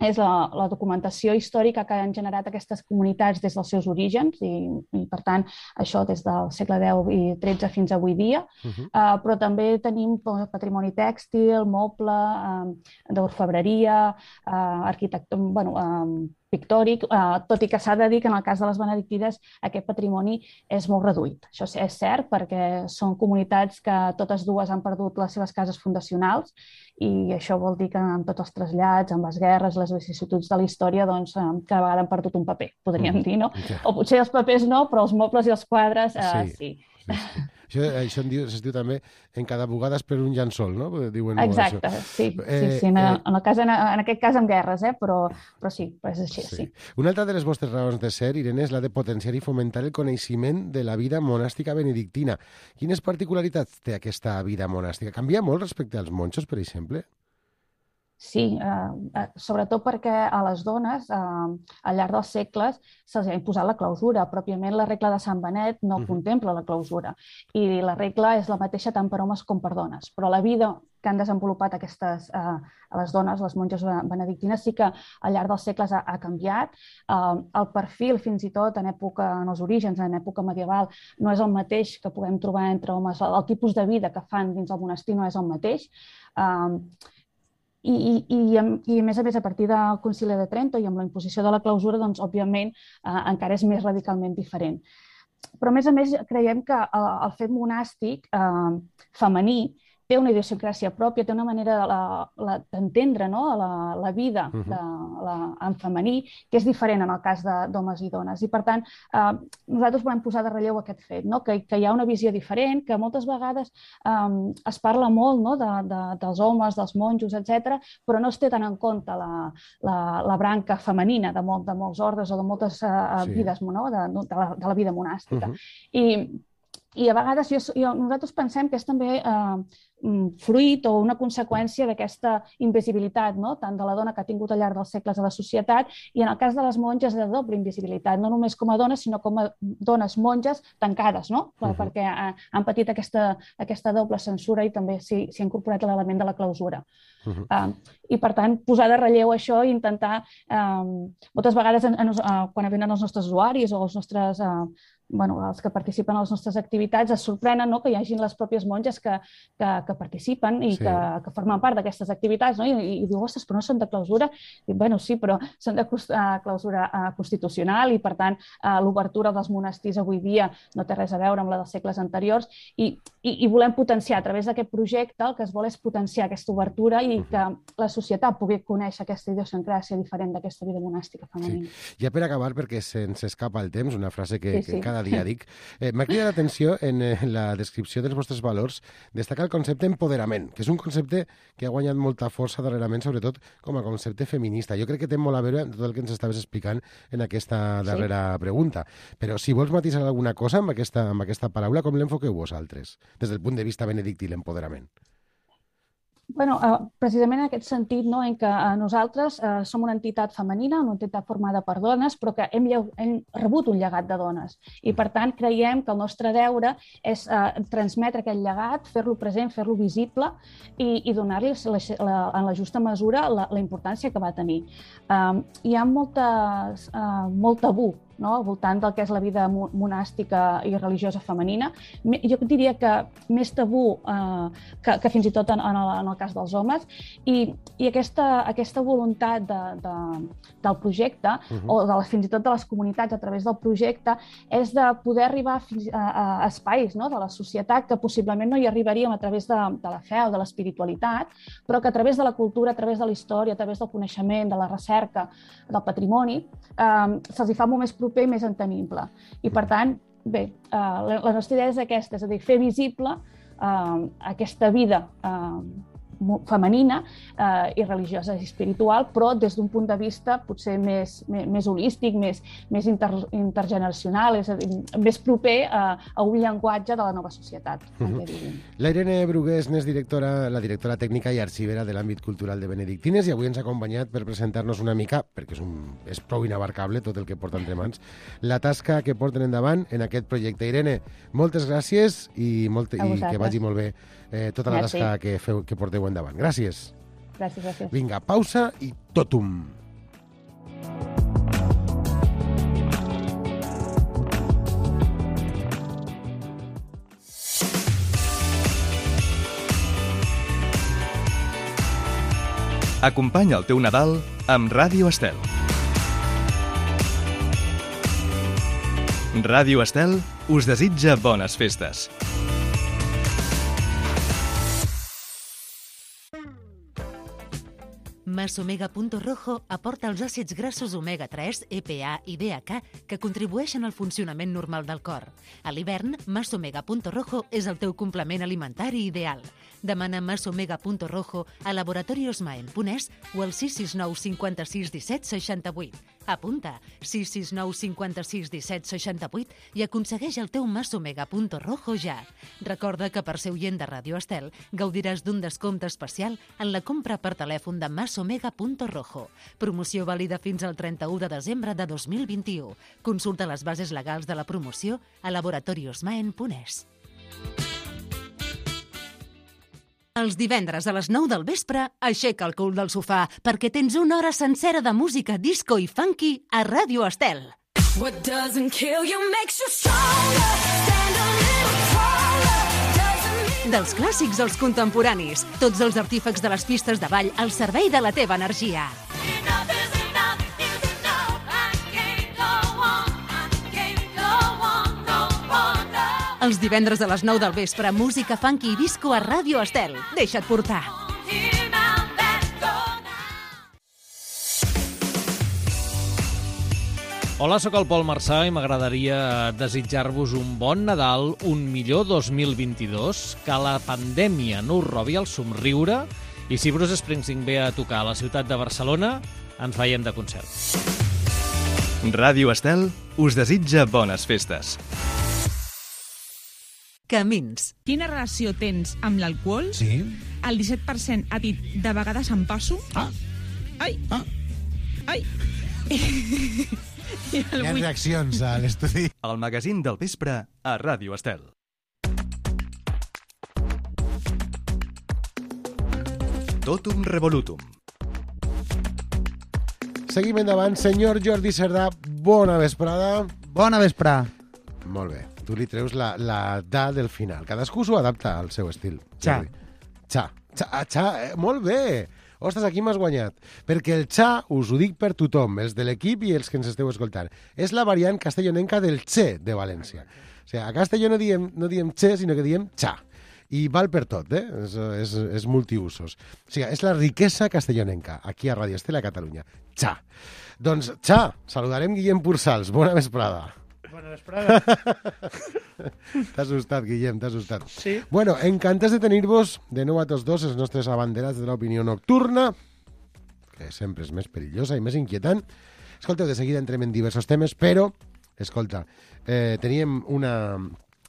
és la, la documentació històrica que han generat aquestes comunitats des dels seus orígens i, i per tant, això des del segle deu i tretze fins avui dia, uh-huh. uh, però també tenim patrimoni tèxtil, moble, uh, d'orfebreria, uh, arquitectura, bueno, uh, pictòric, eh, tot i que s'ha de dir que en el cas de les benedictines aquest patrimoni és molt reduït. Això és cert perquè són comunitats que totes dues han perdut les seves cases fundacionals i això vol dir que amb tots els trasllats, amb les guerres, les vicissituds de la història, doncs cada vegada han perdut un paper, podríem mm. dir, no? Yeah. O potser els papers no, però els mobles i els quadres eh, sí. sí. Sí, sí. Això, això en diu, es diu també en cada bugada és per un llençol, no? Diuen Exacte, això. sí, eh, sí, sí. En, eh, en, el cas, en, en aquest cas amb guerres, eh? però, però sí, però és així, sí. sí. Una altra de les vostres raons de ser, Irene, és la de potenciar i fomentar el coneixement de la vida monàstica benedictina. Quines particularitats té aquesta vida monàstica? Canvia molt respecte als monjos, per exemple? Sí, eh, sobretot perquè a les dones, eh, al llarg dels segles, se'ls ha imposat la clausura. Pròpiament la regla de Sant Benet no uh-huh. contempla la clausura. I la regla és la mateixa tant per homes com per dones. Però la vida que han desenvolupat aquestes, eh, a les dones, les monges benedictines, sí que al llarg dels segles ha, ha canviat. Eh, el perfil, fins i tot, en època, en els orígens, en època medieval, no és el mateix que puguem trobar entre homes. El, el tipus de vida que fan dins el monestir no és el mateix. Eh, I, i, i, I, a més a més, a partir del Concili de Trento i amb la imposició de la clausura, doncs, òbviament, eh, encara és més radicalment diferent. Però, a més a més, creiem que el, el fet monàstic eh, femení té una idiosincràsia pròpia, té una manera d'entendre no? la, la vida de, la, en femení, que és diferent en el cas d'homes i dones. I, per tant, eh, nosaltres volem posar de relleu aquest fet, no? que, que hi ha una visió diferent, que moltes vegades eh, es parla molt no? de, de, dels homes, dels monjos, etcètera, però no es té tant en compte la, la, la branca femenina de, molt, de molts ordres o de moltes uh, sí. vides no? de, de, la, de la vida monàstica. Uh-huh. I, I a vegades jo, jo, nosaltres pensem que és també eh, fruit o una conseqüència d'aquesta invisibilitat, no? tant de la dona que ha tingut al llarg dels segles a la societat i en el cas de les monges de doble invisibilitat, no només com a dones, sinó com a dones monges tancades, no? uh-huh. perquè ha, han patit aquesta, aquesta doble censura i també s'hi ha incorporat l'element de la clausura. Uh-huh. uh, I, per tant, posar de relleu això i intentar, uh, moltes vegades en, en, uh, quan venen els nostres usuaris o els nostres... Uh, bueno, els que participen a les nostres activitats es sorprenen no? que hi hagin les pròpies monges que, que, que participen i sí. que, que formen part d'aquestes activitats, no? I, i, i diu, ostres, però no són de clausura? I, bueno, sí, però són de clausura uh, constitucional i, per tant, uh, l'obertura dels monestirs avui dia no té res a veure amb la dels segles anteriors i, i, i volem potenciar, a través d'aquest projecte, el que es vol és potenciar aquesta obertura i que la societat pugui conèixer aquesta idiosincràsia diferent d'aquesta vida monàstica femenina. Sí. Ja per acabar, perquè se'ns escapa el temps, una frase que, sí, sí. que cada dia dic, eh, m'ha cridat l'atenció en eh, la descripció dels vostres valors, destaca el concepte empoderament, que és un concepte que ha guanyat molta força darrerament, sobretot com a concepte feminista. Jo crec que té molt a veure amb tot el que ens estaves explicant en aquesta darrera sí. pregunta. Però si vols matisar alguna cosa amb aquesta, amb aquesta paraula, com l'enfoqueu vosaltres, des del punt de vista benedictí, l'empoderament? Bueno, uh, precisament en aquest sentit, no, en què uh, nosaltres uh, som una entitat femenina, una entitat formada per dones, però que hem, hem rebut un llegat de dones. I, per tant, creiem que el nostre deure és uh, transmetre aquest llegat, fer-lo present, fer-lo visible i, i donar-li la, la, en la justa mesura la, la importància que va tenir. Um, hi ha moltes, uh, molt tabú no? al voltant del que és la vida monàstica i religiosa femenina. Jo diria que més tabú eh, que, que fins i tot en, en, el, en el cas dels homes. I, i aquesta, aquesta voluntat de, de, del projecte, uh-huh. o de les, fins i tot de les comunitats a través del projecte, és de poder arribar fins a, a espais no? de la societat que possiblement no hi arribaríem a través de, de la fe o de l'espiritualitat, però que a través de la cultura, a través de la història, a través del coneixement, de la recerca, del patrimoni, eh, se'ls hi fa molt més proper i més entenible. I, per tant, bé, eh, la, la nostra idea és aquesta, és a dir, fer visible eh, aquesta vida eh, femenina eh, i religiosa i espiritual, però des d'un punt de vista potser més, més, més holístic, més, més inter, intergeneracional, és a dir, més proper a, a un llenguatge de la nova societat. Uh-huh. La Irene Brugués n'és directora, la directora tècnica i arxivera de l'àmbit cultural de Benedictines i avui ens ha acompanyat per presentar-nos una mica, perquè és, un, és prou inabarcable tot el que porta entre mans, la tasca que porten endavant en aquest projecte. Irene, moltes gràcies i, molt, i que vagi molt bé eh, tota la tasca que, feu, que porteu endavant. Gràcies. Gràcies, gràcies. Vinga, pausa i totum. Acompanya el teu Nadal amb Ràdio Estel. Ràdio Estel us desitja bones festes. Masomega Punto Rojo aporta els àcids grassos omega tres, E P A i D H A que contribueixen al funcionament normal del cor. A l'hivern, Masomega Punto Rojo és el teu complement alimentari ideal. Demana Masomega Punto Rojo a Laboratorios Maen Punès o al sis sis nou cinquanta-sis disset seixanta-vuit. Apunta sis sis nou cinquanta-sis disset seixanta-vuit i aconsegueix el teu Masomega Punto Rojo ja. Recorda que per ser oient de Ràdio Estel gaudiràs d'un descompte especial en la compra per telèfon de Masomega Punto Rojo. Promoció vàlida fins al trenta-u de desembre de dos mil vint-i-u. Consulta les bases legals de la promoció a laboratoriosmaen punt es. Els divendres a les nou del vespre, aixeca el cul del sofà perquè tens una hora sencera de música disco i funky a Ràdio Estel. What doesn't kill you makes you stronger. Stand a little taller. Dels clàssics als contemporanis, tots els artífecs de les pistes de ball al servei de la teva energia. Els divendres a les nou del vespre, música funky i disco a Ràdio Estel. Deixa't portar. Hola, sóc el Pol Marçà i m'agradaria desitjar-vos un bon Nadal, un millor dos mil vint-i-dos, que la pandèmia no us robi el somriure i si Bruce Springsteen ve a tocar a la ciutat de Barcelona, ens veiem de concert. Ràdio Estel us desitja bones festes. Camins. Quina relació tens amb l'alcohol? Sí. El disset per cent ha dit de vegades em passo. Ah. Ai. Ah. Ai. Hi ha reaccions a l'estudi. El magazín del vespre a Ràdio Estel. Totum revolutum. Seguim endavant. Senyor Jordi Cerdà, bona vesprada. Bona vesprada. Molt bé. Tu li treus la, la da del final. Cadascú s'ho adapta al seu estil. Xa. Xa. Xa, xa eh? Molt bé. Ostres, aquí m'has guanyat. Perquè el xa, us ho dic per tothom, els de l'equip i els que ens esteu escoltant, és la variant castellonenca del che de València. O sigui, a Castelló no diem, no diem che, sinó que diem xa. I val per tot, eh? És, és, és multiusos. O sigui, és la riquesa castellonenca, aquí a Ràdio Estel a Catalunya. Xa. Doncs, xa, saludarem Guillem Pursals. Bona vesprada. Bona vesprada. T'ha assustat, Guillem, t'ha assustat. Sí. Bueno, encantats de tenir-vos de nou a tots dos, els nostres abanderats de l'opinió nocturna, que sempre és més perillosa i més inquietant. Escolteu, de seguida entrem en diversos temes, però, escolta, eh, teníem una,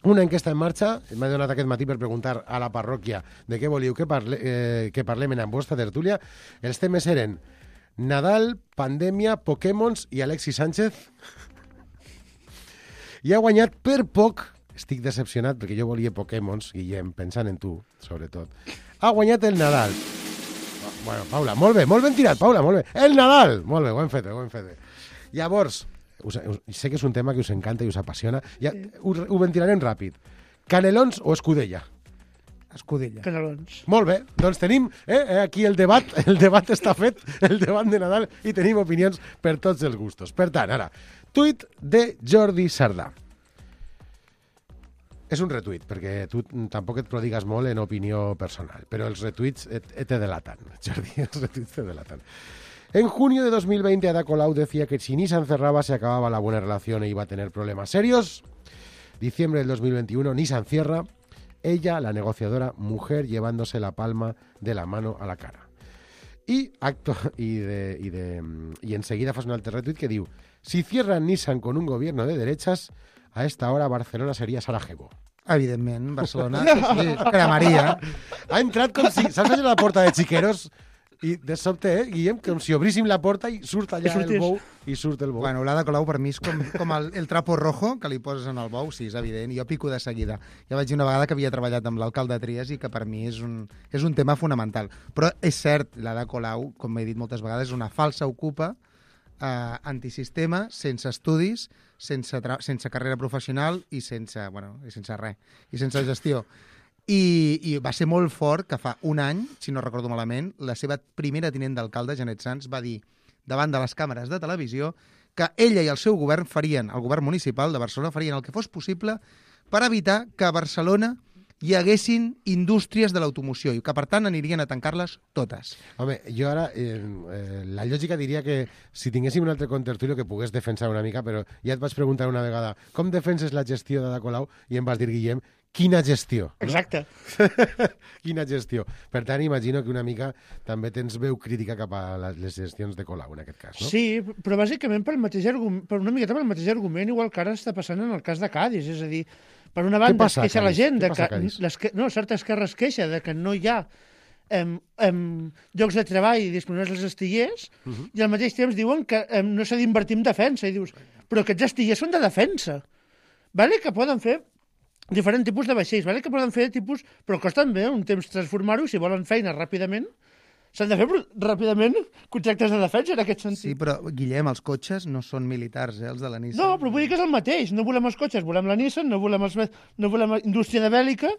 una enquesta en marxa, m'ha donat aquest matí per preguntar a la parròquia de què volíeu que, parle, eh, que parlem en vostra tertúlia. Els temes eren Nadal, pandèmia, Pokémons i Alexis Sánchez. I ha guanyat per poc, estic decepcionat perquè jo volia Pokémons, Guillem, pensant en tu, sobretot. Ha guanyat el Nadal. Bueno, Paula, molt bé, molt ben tirat, Paula, molt bé. El Nadal! Molt bé, ho hem fet, ho hem fet. Llavors, us, us, sé que és un tema que us encanta i us apassiona. Ja, ho, ho ventilarem ràpid. Canelons o escudella? Escudella. Canelons. Molt bé, doncs tenim eh, aquí el debat, el debat està fet, el debat de Nadal, i tenim opinions per tots els gustos. Per tant, ara, tuit de Jordi Cerdà. És un retuit, perquè tu tampoc et prodigues molt en opinió personal, però els retuits et, et te delatan, Jordi, els retuits te delatan. En junio de dos mil veinte, Ada Colau decía que si Nissan cerraba se acababa la buena relación e iba a tener problemas serios. Diciembre del dos mil veintiuno, Nissan cierra. Ella, la negociadora, mujer llevándose la palma de la mano a la cara. Y acto y de, y de y enseguida fas un altre retuit que diu: si cierran Nissan con un gobierno de derechas, a esta hora Barcelona sería Sarajevo. Evidentment, Barcelona sí, cremaria. Ha entrat com si... Saps allà la porta de Xiqueros? I de sobte, eh, Guillem, com si obríssim la porta i surt allà el bou i surt el bou. Bueno, l'Ada Colau per mi és com, com el, el trapo rojo que li poses en el bou, sí, és evident, i jo pico de seguida. Ja vaig dir una vegada que havia treballat amb l'alcalde Trias i que per mi és un, és un tema fonamental. Però és cert, l'Ada Colau, com he dit moltes vegades, és una falsa ocupa, eh, antisistema, sense estudis, sense, sense carrera professional i sense, bueno, i sense res, i sense gestió. I, i va ser molt fort que fa un any, si no recordo malament, la seva primera tinent d'alcalde, Janet Sanz, va dir davant de les càmeres de televisió que ella i el seu govern farien, el govern municipal de Barcelona, farien el que fos possible per evitar que a Barcelona hi haguessin indústries de l'automoció i que, per tant, anirien a tancar-les totes. Home, jo ara, eh, eh, la lògica diria que si tinguéssim un altre contertulio que pogués defensar una mica, però ja et vaig preguntar una vegada com defenses la gestió d'Ada Colau i em vas dir, Guillem, quina gestió. No? Exacte. Quina gestió. Per tant, imagino que una mica també tens veu crítica cap a les gestions de Colau, en aquest cas, no? Sí, però bàsicament pel mateix argument, per una miqueta pel mateix argument, igual que ara està passant en el cas de Cádiz, és a dir, per una banda es queixa la gent de que, les que no, certa esquerra es queixa de que no hi ha em, em, llocs de treball disponibles als astillers uh -huh. i al mateix temps diuen que em, no s'ha d'invertir en defensa i dius, però aquests astillers són de defensa, vale? Que poden fer diferents tipus de vaixells, vale? Que poden fer tipus, però costen bé un temps transformar-ho i si volen feina ràpidament s'han de fer ràpidament contractes de defensa en aquest sentit. Sí, però, Guillem, els cotxes no són militars, eh, els de la Nissan. No, però vull dir que és el mateix. No volem els cotxes, volem la Nissan, no volem, els, no volem la indústria de bèl·lica,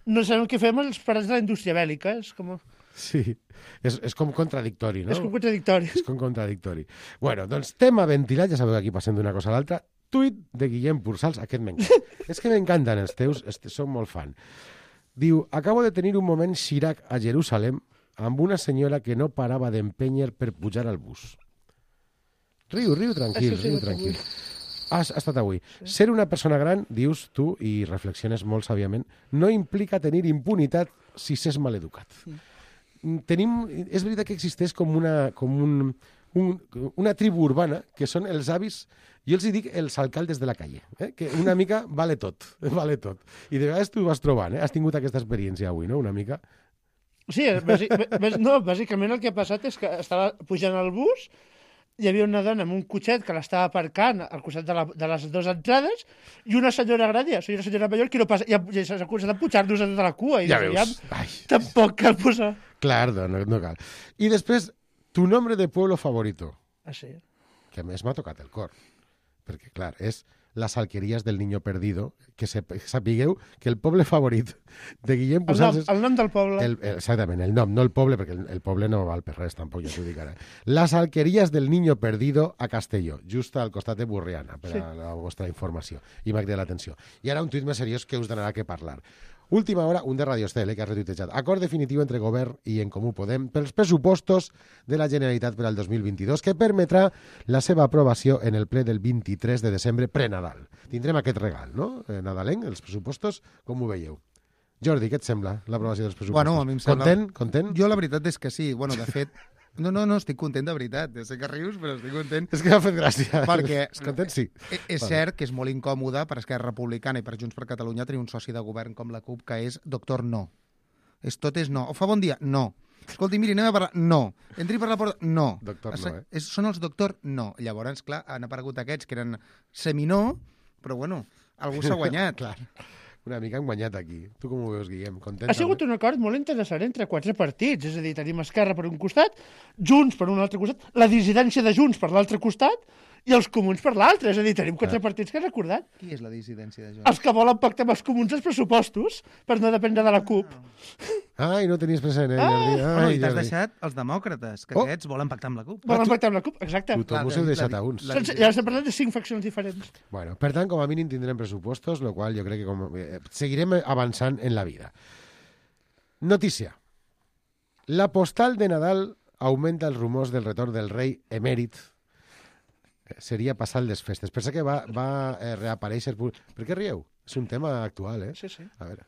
no sabem què fem els parats de la indústria bèl·lica. És com... Sí, és, és com contradictori, no? És com contradictori. És com contradictori. Bueno, doncs tema ventilat, ja sabeu que aquí passem d'una cosa a l'altra. Tuit de Guillem Pursals, aquest m'encanta. És que m'encanten els teus, som molt fan. Diu, acabo de tenir un moment Chirac a Jerusalem amb una senyora que no parava d'empènyer per pujar al bus. Riu, riu, tranquil, Això sí, riu, tranquil. Has estat avui. Sí. Ser una persona gran, dius tu, i reflexiones molt sàviament, no implica tenir impunitat si s'és maleducat. Mm. Tenim, és veritat que existeix com una, com un, un, una tribu urbana que són els avis, jo els dic els alcaldes de la calle, eh? Que una mica vale tot, vale tot. I de vegades tu ho vas trobant, eh? Has tingut aquesta experiència avui, no?, una mica... Sí, bàsic, no, bàsicament el que ha passat és que estava pujant al bus, hi havia una dona amb un cotxet que l'estava aparcant al costat de, la, de les dues entrades i una senyora gran, ja soy una senyora major, que no passa, i s'ha començat a pujar-nos de la cua. I ja dius, veus. Ja, tampoc cal posar... Clar, no, no cal. I després, tu nombre de pueblo favorito. Ah, sí? Que a més m'ha tocat el cor. Perquè, clar, és les alqueries del niño perdido, que sapigueu que el poble favorit de Guillem Pursals... El nom, el nom del poble. El, el, exactament, el nom, no el poble, perquè el, el poble no val per res, tampoc, ja t'ho dic ara. Les alqueries del niño perdido a Castelló, just al costat de Burriana, per sí. a la vostra informació. I m'ha cridat l'atenció. I ara un tuit més seriós que us donarà que parlar. Última hora, un de Radio Estel, eh, que ha retuitejat. Acord definitiu entre Govern i En Comú Podem pels pressupostos de la Generalitat per al dos mil vint-i-dos que permetrà la seva aprovació en el ple del vint-i-tres de desembre pre-Nadal. Tindrem aquest regal, no? Eh, nadalenc, els pressupostos, com ho veieu? Jordi, què et sembla l'aprovació dels pressupostos? Bueno, a mi em sembla... Content? Content? Jo la veritat és que sí. Bueno, de fet... No, no, no, estic content de veritat. Sé que rius, però estic content. És que m'ha fet gràcia. Perquè content, sí. És, és cert que és molt incòmode per Esquerra Republicana i per Junts per Catalunya tenir un soci de govern com la CUP que és doctor no. És tot és no. O fa bon dia? No. Escolti, miri, anem a parlar... No. Entri per la porta? No. Doctor no, eh? És, són els doctor no. Llavors, clar, han aparegut aquests que eren seminó, però bueno, algú s'ha guanyat. Clar. Una mica han guanyat aquí. Tu com ho veus, Guillem? Content? Ha sigut un acord molt interessant entre quatre partits, és a dir, tenim Esquerra per un costat, Junts per un altre costat, la dissidència de Junts per l'altre costat i els comuns per l'altre, és a dir, tenim quatre ah. partits que han acordat. Qui és la dissidència de Junts? Els que volen pactar amb els comuns els pressupostos per no dependre de la CUP. Ai, no tenies present, eh? Ah. Ai, bueno, I t'has deixat els demòcrates, que oh. aquests volen pactar amb la CUP. Volen pactar amb la CUP, exacte. Tothom us heu deixat a uns. La, la, ja estem parlant de cinc faccions diferents. Bueno, per tant, com a mínim tindrem pressupostos, lo qual jo crec que com, eh, seguirem avançant en la vida. Notícia. La postal de Nadal augmenta els rumors del retorn del rei emèrit. Seria passar les festes. Pensa que va, va eh, reaparèixer... Per què rieu? És un tema actual, eh? Sí, sí. A veure.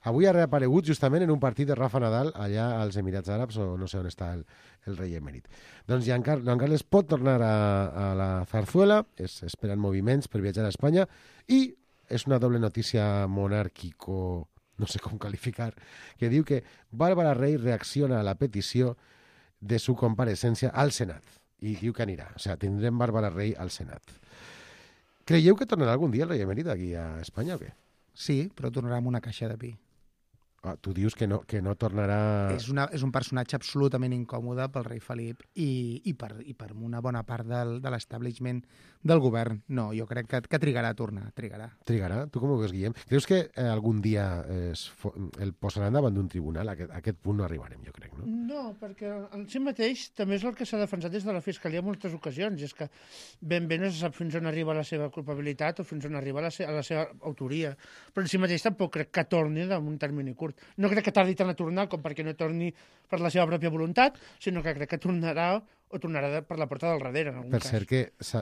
Avui ha reaparegut justament en un partit de Rafa Nadal allà als Emirats Àrabs, o no sé on està el, el rei emèrit. Doncs Joan, Car Joan Carles pot tornar a, a la Zarzuela, es esperen moviments per viatjar a Espanya, i és una doble notícia monàrquico, no sé com qualificar, que diu que Bàrbara Rey reacciona a la petició de su compareixença al Senat. I diu que anirà. O sigui, tindrem Bàrbara Rey al Senat. Creieu que tornarà algun dia el rei emèrit aquí a Espanya o què? Sí, però tornarà amb una caixa de pi. Ah, tu dius que no, que no tornarà... És, una, és un personatge absolutament incòmode pel rei Felip i, i, per, i per una bona part del, de l'establishment del govern. No, jo crec que, que trigarà a tornar, trigarà. Trigarà? Tu com ho veus, Guillem? Creus que eh, algun dia es, el posaran davant d'un tribunal? A aquest, a aquest punt no arribarem, jo crec, no? No, perquè en si mateix també és el que s'ha defensat des de la Fiscalia en moltes ocasions, i és que ben bé no se sap fins on arriba la seva culpabilitat o fins on arriba la, se a la seva autoria. Però en si mateix tampoc crec que torni en un termini curt. No crec que tardi tant a tornar com perquè no torni per la seva pròpia voluntat, sinó que crec que tornarà o tornarà de, per la porta del darrere, en algun per cas. cert que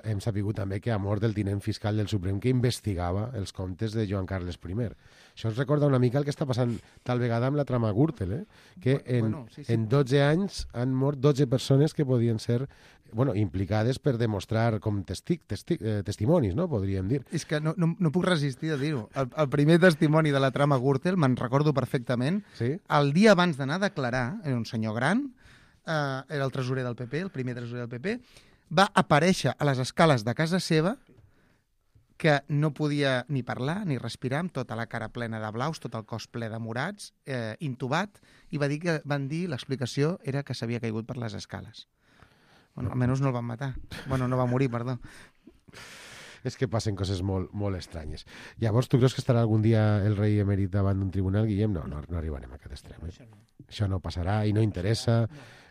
hem sapigut també que ha mort el tinent fiscal del Suprem que investigava els comptes de Joan Carles I. Això ens recorda una mica el que està passant tal vegada amb la trama Gürtel, eh? que en, bueno, sí, sí. en dotze anys han mort dotze persones que podien ser bueno, implicades per demostrar com testi testi eh, testimonis, no? Podríem dir. És que no, no, no puc resistir a dir-ho. El, el primer testimoni de la trama Gürtel, me'n recordo perfectament, sí? el dia abans d'anar a declarar, era un senyor gran, eh, era el tresorer del P P, el primer tresorer del P P, va aparèixer a les escales de casa seva que no podia ni parlar ni respirar, amb tota la cara plena de blaus, tot el cos ple de morats, eh, intubat, i va dir que van dir, l'explicació era que s'havia caigut per les escales. Bueno, almenys no el van matar. Bueno, no va morir, perdó. És que passen coses molt, molt estranyes. Llavors, tu creus que estarà algun dia el rei emèrit davant d'un tribunal, Guillem? No, no, no arribarem a aquest extrem. Eh? Això no passarà i no interessa.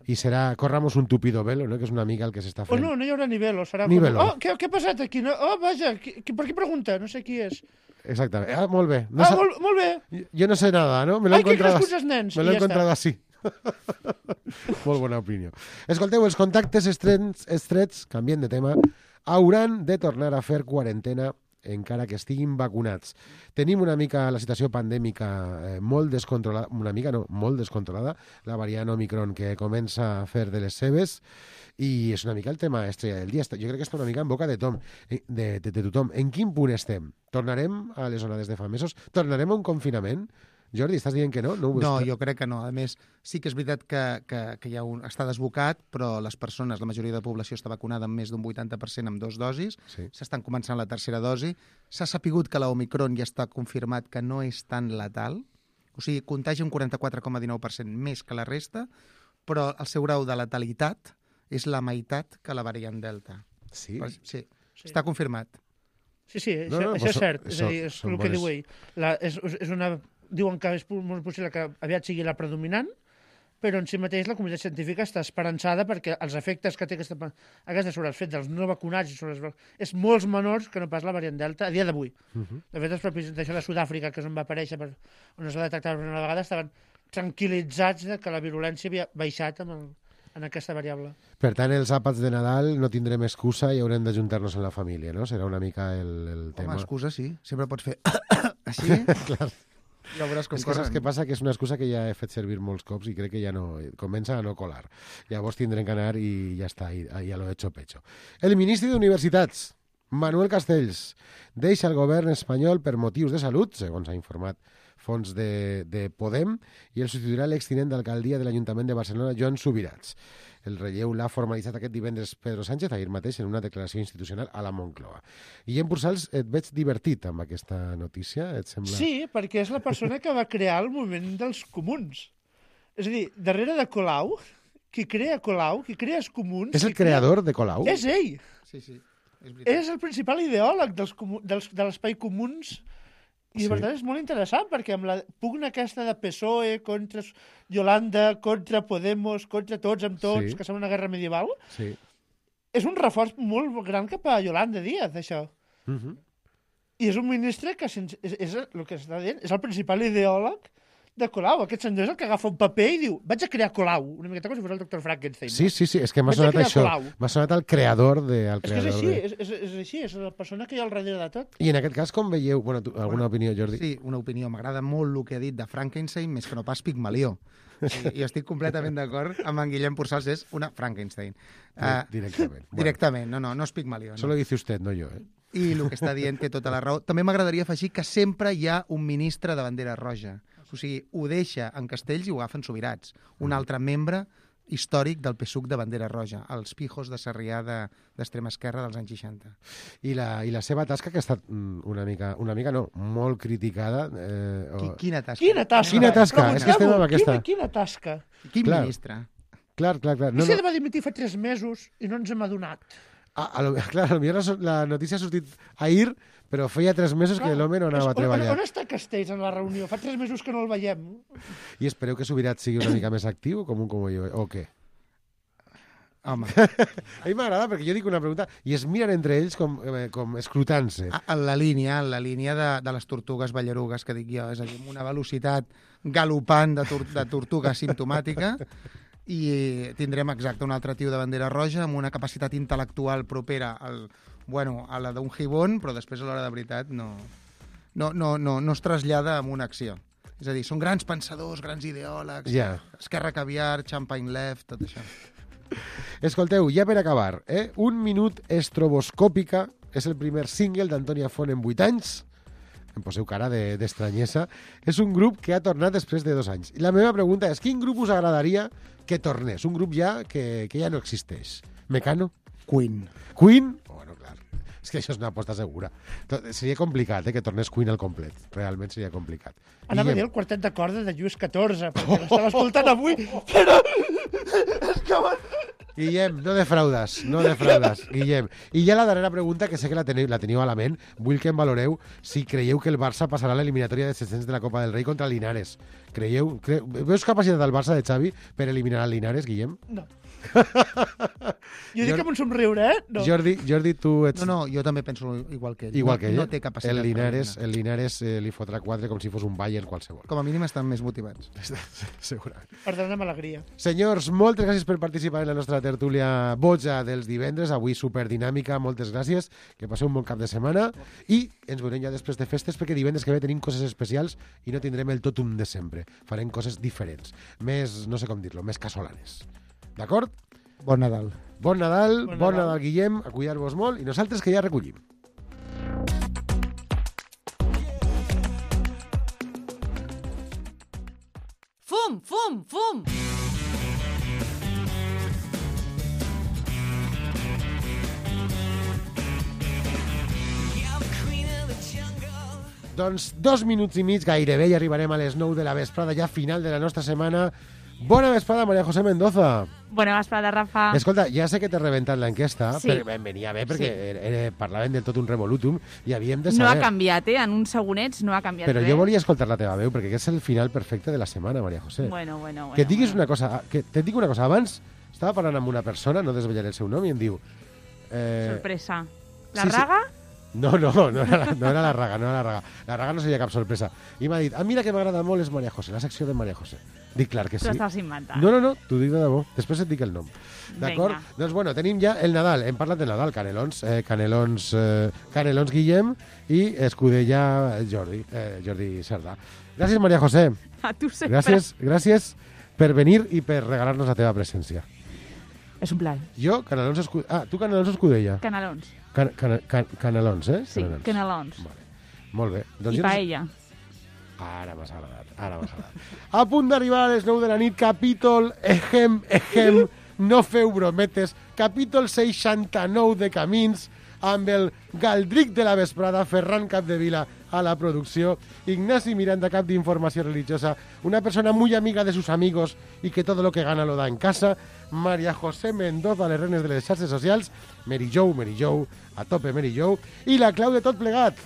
I serà, corramos un tupido velo, no? Que és una mica el que s'està fent. Oh, no, no hi haurà ni velo. Serà ni com... velo. Oh, què, què ha passat aquí? No? Oh, vaja, qui, qui, per qui pregunta? No sé qui és. Exactament. Ah, molt bé. No ah, sa... molt, molt bé. Jo no sé nada, no? Me l'he encontrado, els nens. me l'he ja encontrado així. Molt bona opinió. Escolteu, els contactes estrets, estrets, canvient de tema, hauran de tornar a fer quarantena encara que estiguin vacunats. Tenim una mica la situació pandèmica eh, molt descontrolada, una mica no, molt descontrolada, la variant Omicron que comença a fer de les seves, i és una mica el tema estrella del dia. Jo crec que està una mica en boca de, tom, de, de, de tothom. En quin punt estem? Tornarem a les onades de fa mesos? Tornarem a un confinament? Jordi, estàs dient que no? No, no jo crec que no. A més, sí que és veritat que, que, que hi ha un, està desbocat, però les persones, la majoria de la població està vacunada amb més d'un vuitanta per cent amb dos dosis, s'estan sí. començant la tercera dosi. S'ha sapigut que l'Omicron ja està confirmat que no és tan letal, o sigui, contagi un quaranta-quatre coma dinou per cent més que la resta, però el seu grau de letalitat és la meitat que la variant Delta. Sí? Però, sí. sí, està confirmat. Sí, sí, no, això, no, això és so, cert. És a dir, és el que diu ell. La, és, és una... Diuen que és molt possible que aviat sigui la predominant, però en si mateix la comunitat científica està esperançada perquè els efectes que té aquesta, aquesta sobre el fet dels no vacunats i sobre els, és molts menors que no pas la variant Delta a dia d'avui. Uh -huh. De fet, els propis d'això de Sud-àfrica, que és on va aparèixer, per, on es va detectar per una vegada, estaven tranquil·litzats de que la virulència havia baixat amb el, en aquesta variable. Per tant, els àpats de Nadal no tindrem excusa i haurem d'ajuntar-nos en la família, no? Serà una mica el, el tema. Home, excusa sí. Sempre pots fer així. Clar. Ja veuràs com és que saps què passa? Que és una excusa que ja he fet servir molts cops i crec que ja no... Comença a no colar. Llavors tindrem que anar i ja està, i, ja lo he hecho pecho. El ministre d'Universitats, Manuel Castells, deixa el govern espanyol per motius de salut, segons ha informat fons de, de Podem, i el substituirà l'extinent d'alcaldia de l'Ajuntament de Barcelona, Joan Subirats. El relleu l'ha formalitzat aquest divendres Pedro Sánchez, ahir mateix, en una declaració institucional a la Moncloa. Guillem Pursals, et veig divertit amb aquesta notícia, et sembla? Sí, perquè és la persona que va crear el moviment dels comuns. És a dir, darrere de Colau, qui crea Colau, qui crea els comuns... És el creador crea... de Colau? És ell. Sí, sí, és veritat. És el principal ideòleg dels, dels, de l'espai comuns. I, sí. per tant, és molt interessant, perquè amb la pugna aquesta de P S O E contra Yolanda, contra Podemos, contra tots amb tots, sí. que sembla una guerra medieval, sí. és un reforç molt gran cap a Yolanda Díaz, això. Uh -huh. I és un ministre que, és, és, és el que està dient, és el principal ideòleg de Colau. Aquest senyor és el que agafa un paper i diu vaig a crear Colau, una miqueta com si fos el doctor Frankenstein. Sí, sí, sí, és que m'ha sonat això. M'ha sonat el creador de... El és creador que és així, de... és, és, és així, és la persona que hi ha al darrere de tot. I en aquest cas, com veieu... Bueno, tu, alguna bueno, opinió, Jordi? Sí, una opinió. M'agrada molt el que ha dit de Frankenstein, més que no pas Pigmalió. I jo estic completament d'acord amb en Guillem Pursals, és una Frankenstein. Uh, directament. Bueno. Directament, no, no, no és Pigmalió. No. Solo dice usted, no jo, eh? I el que està dient té tota la raó. També m'agradaria afegir que sempre hi ha un ministre de bandera roja. O sigui, ho deixa en Castells i ho agafen Subirats. Un altre membre històric del P S U C de bandera roja, els pijos de Sarrià d'extrema esquerra dels anys seixanta. I la, i la seva tasca, que ha estat una mica, una mica no, molt criticada... Eh, o... Quina tasca? Quina tasca? Quina tasca? És que estem amb aquesta... Quina, quina tasca? Quin clar. ministre? Clar, clar, clar. No, no. va dimitir fa tres mesos i no ens hem adonat. Ah, a lo, clar, potser la, la notícia ha sortit ahir, però feia tres mesos clar, que l'home no anava a treballar. On, on està Castells en la reunió? Fa tres mesos que no el veiem. I espereu que Subirat sigui una mica més actiu com un com jo, o què? Home. A mi m'agrada perquè jo dic una pregunta i es miren entre ells com, com escrutant-se. En la línia, en la línia de, de les tortugues ballarugues que dic jo, és a dir, amb una velocitat galopant de, tor de tortuga simptomàtica, i tindrem exacte un altre tio de bandera roja amb una capacitat intel·lectual propera al, bueno, a la d'un Gibbon, però després a l'hora de veritat no, no, no, no, no es trasllada en una acció. És a dir, són grans pensadors, grans ideòlegs, yeah. Esquerra Caviar, Champagne Left, tot això. Escolteu, ja per acabar, eh? Un minut estroboscòpica és el primer single d'Antònia Font en vuit anys. Em poseu cara d'estranyesa. És un grup que ha tornat després de dos anys. I la meva pregunta és, quin grup us agradaria que tornés? Un grup ja que, que ja no existeix. Mecano? Queen. Queen? Bueno, clar. És que això és una aposta segura. Seria complicat, eh, que tornés Queen al complet. Realment seria complicat. Anava a dir el quartet de corda de Lluís catorze, perquè l'estava escoltant avui, però... És que... Guillem, no defraudes, no defraudes, Guillem. I ja la darrera pregunta, que sé que la teniu, la teniu a la ment, vull que em valoreu si creieu que el Barça passarà a l'eliminatòria de set-cents de la Copa del Rei contra el Linares. Creieu? Cre... Veus capacitat del Barça de Xavi per eliminar el Linares, Guillem? No. Jo dic amb un somriure, eh? No. Jordi, Jordi, tu ets... No, no, jo també penso igual que ell. Igual que ell. No, no té capacitat. El Linares, el Linares eh, li fotrà quatre com si fos un Bayern qualsevol. Com a mínim estan més motivats. Segurament. Per donar amb alegria. Senyors, moltes gràcies per participar en la nostra tertúlia boja dels divendres, avui superdinàmica, moltes gràcies, que passeu un bon cap de setmana i ens veurem ja després de festes, perquè divendres que ve tenim coses especials i no tindrem el totum de sempre. Farem coses diferents, més, no sé com dir-lo, més casolanes. D'acord? Bon Nadal. Bon Nadal, bon, bon Nadal, Guillem, a cuidar-vos molt, i nosaltres que ja recollim. Fum, fum, fum! Doncs dos minuts i mig, gairebé, i arribarem a les nou de la vesprada, ja final de la nostra setmana. Bona vesprada, María José Mendoza. Bona vesprada, Rafa. Escolta, ja sé que t'he rebentat l'enquesta, sí. però venia bé perquè sí. eh, parlaven del tot un revolutum i havíem de No saber... ha canviat, eh? En uns segonets no ha canviat però res. jo volia escoltar la teva veu, perquè és el final perfecte de la setmana, María José. Bueno, bueno, bueno. Que et diguis bueno. una cosa, que te dic una cosa, abans estava parlant amb una persona, no desvetllaré el seu nom, i em diu... Eh... Sorpresa. La sí, Raga? Sí. No, no, no era, la, no era la Raga, no era la Raga. La Raga no seria cap sorpresa. I m'ha dit, ah, mira que m'agrada molt és María José, la secció de María José. Dic, clar que sí. T'ho estàs inventant. No, no, no, t'ho dic de debò. Després et dic el nom. D'acord? Doncs bueno, tenim ja el Nadal. Hem parlat del Nadal, Canelons, eh, Canelons, eh, Canelons Guillem i Escudella Jordi, eh, Jordi Cerdà. Gràcies, María José. A tu sempre. Gràcies, gràcies per venir i per regalar-nos la teva presència. És un plaer. Jo, Canelons Escudella... Ah, tu Canelons Escudella. Canelons. Can, can, can, canelons, eh? Sí, canelons. canelons. Vale. Molt bé. Doncs I paella. Ara m'has agradat, ara m'has agradat. A punt d'arribar a les nou de la nit, capítol ejem, ejem, no feu brometes, capítol seixanta-nou de Camins, amb el Galdric de la vesprada, Ferran Capdevila a la producció, Ignasi Miranda, cap d'informació religiosa, una persona muy amiga de sus amigos y que todo lo que gana lo da en casa, María José Mendoza, les renes de les xarxes socials, Mary Jo, Mary Jo, a tope Mary Jo, i la clau de tot plegat,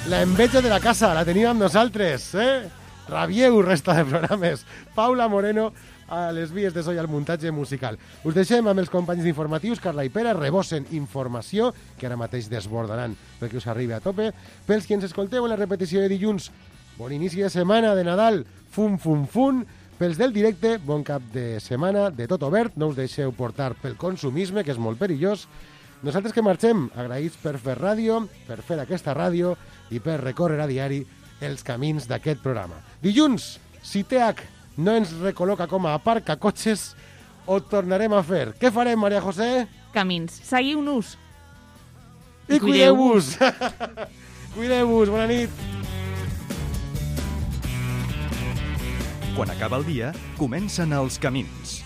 la enveja de la casa, la tenim amb nosaltres, eh? Rabieu, resta de programes, Paula Moreno, a les vies de so i al muntatge musical. Us deixem amb els companys informatius, Carla i Pere, rebossen informació, que ara mateix desbordaran perquè us arribi a tope. Pels qui ens escolteu en la repetició de dilluns, bon inici de setmana de Nadal, fum, fum, fum. Pels del directe, bon cap de setmana, de tot obert, no us deixeu portar pel consumisme, que és molt perillós. Nosaltres que marxem, agraïts per fer ràdio, per fer aquesta ràdio i per recórrer a diari els camins d'aquest programa. Dilluns, si T H no ens recol·loca com a aparcacotxes, ho tornarem a fer. Què farem, María José? Camins. Seguiu-nos. I cuideu-vos. Cuideu-vos. Bona nit. Quan acaba el dia, comencen els camins.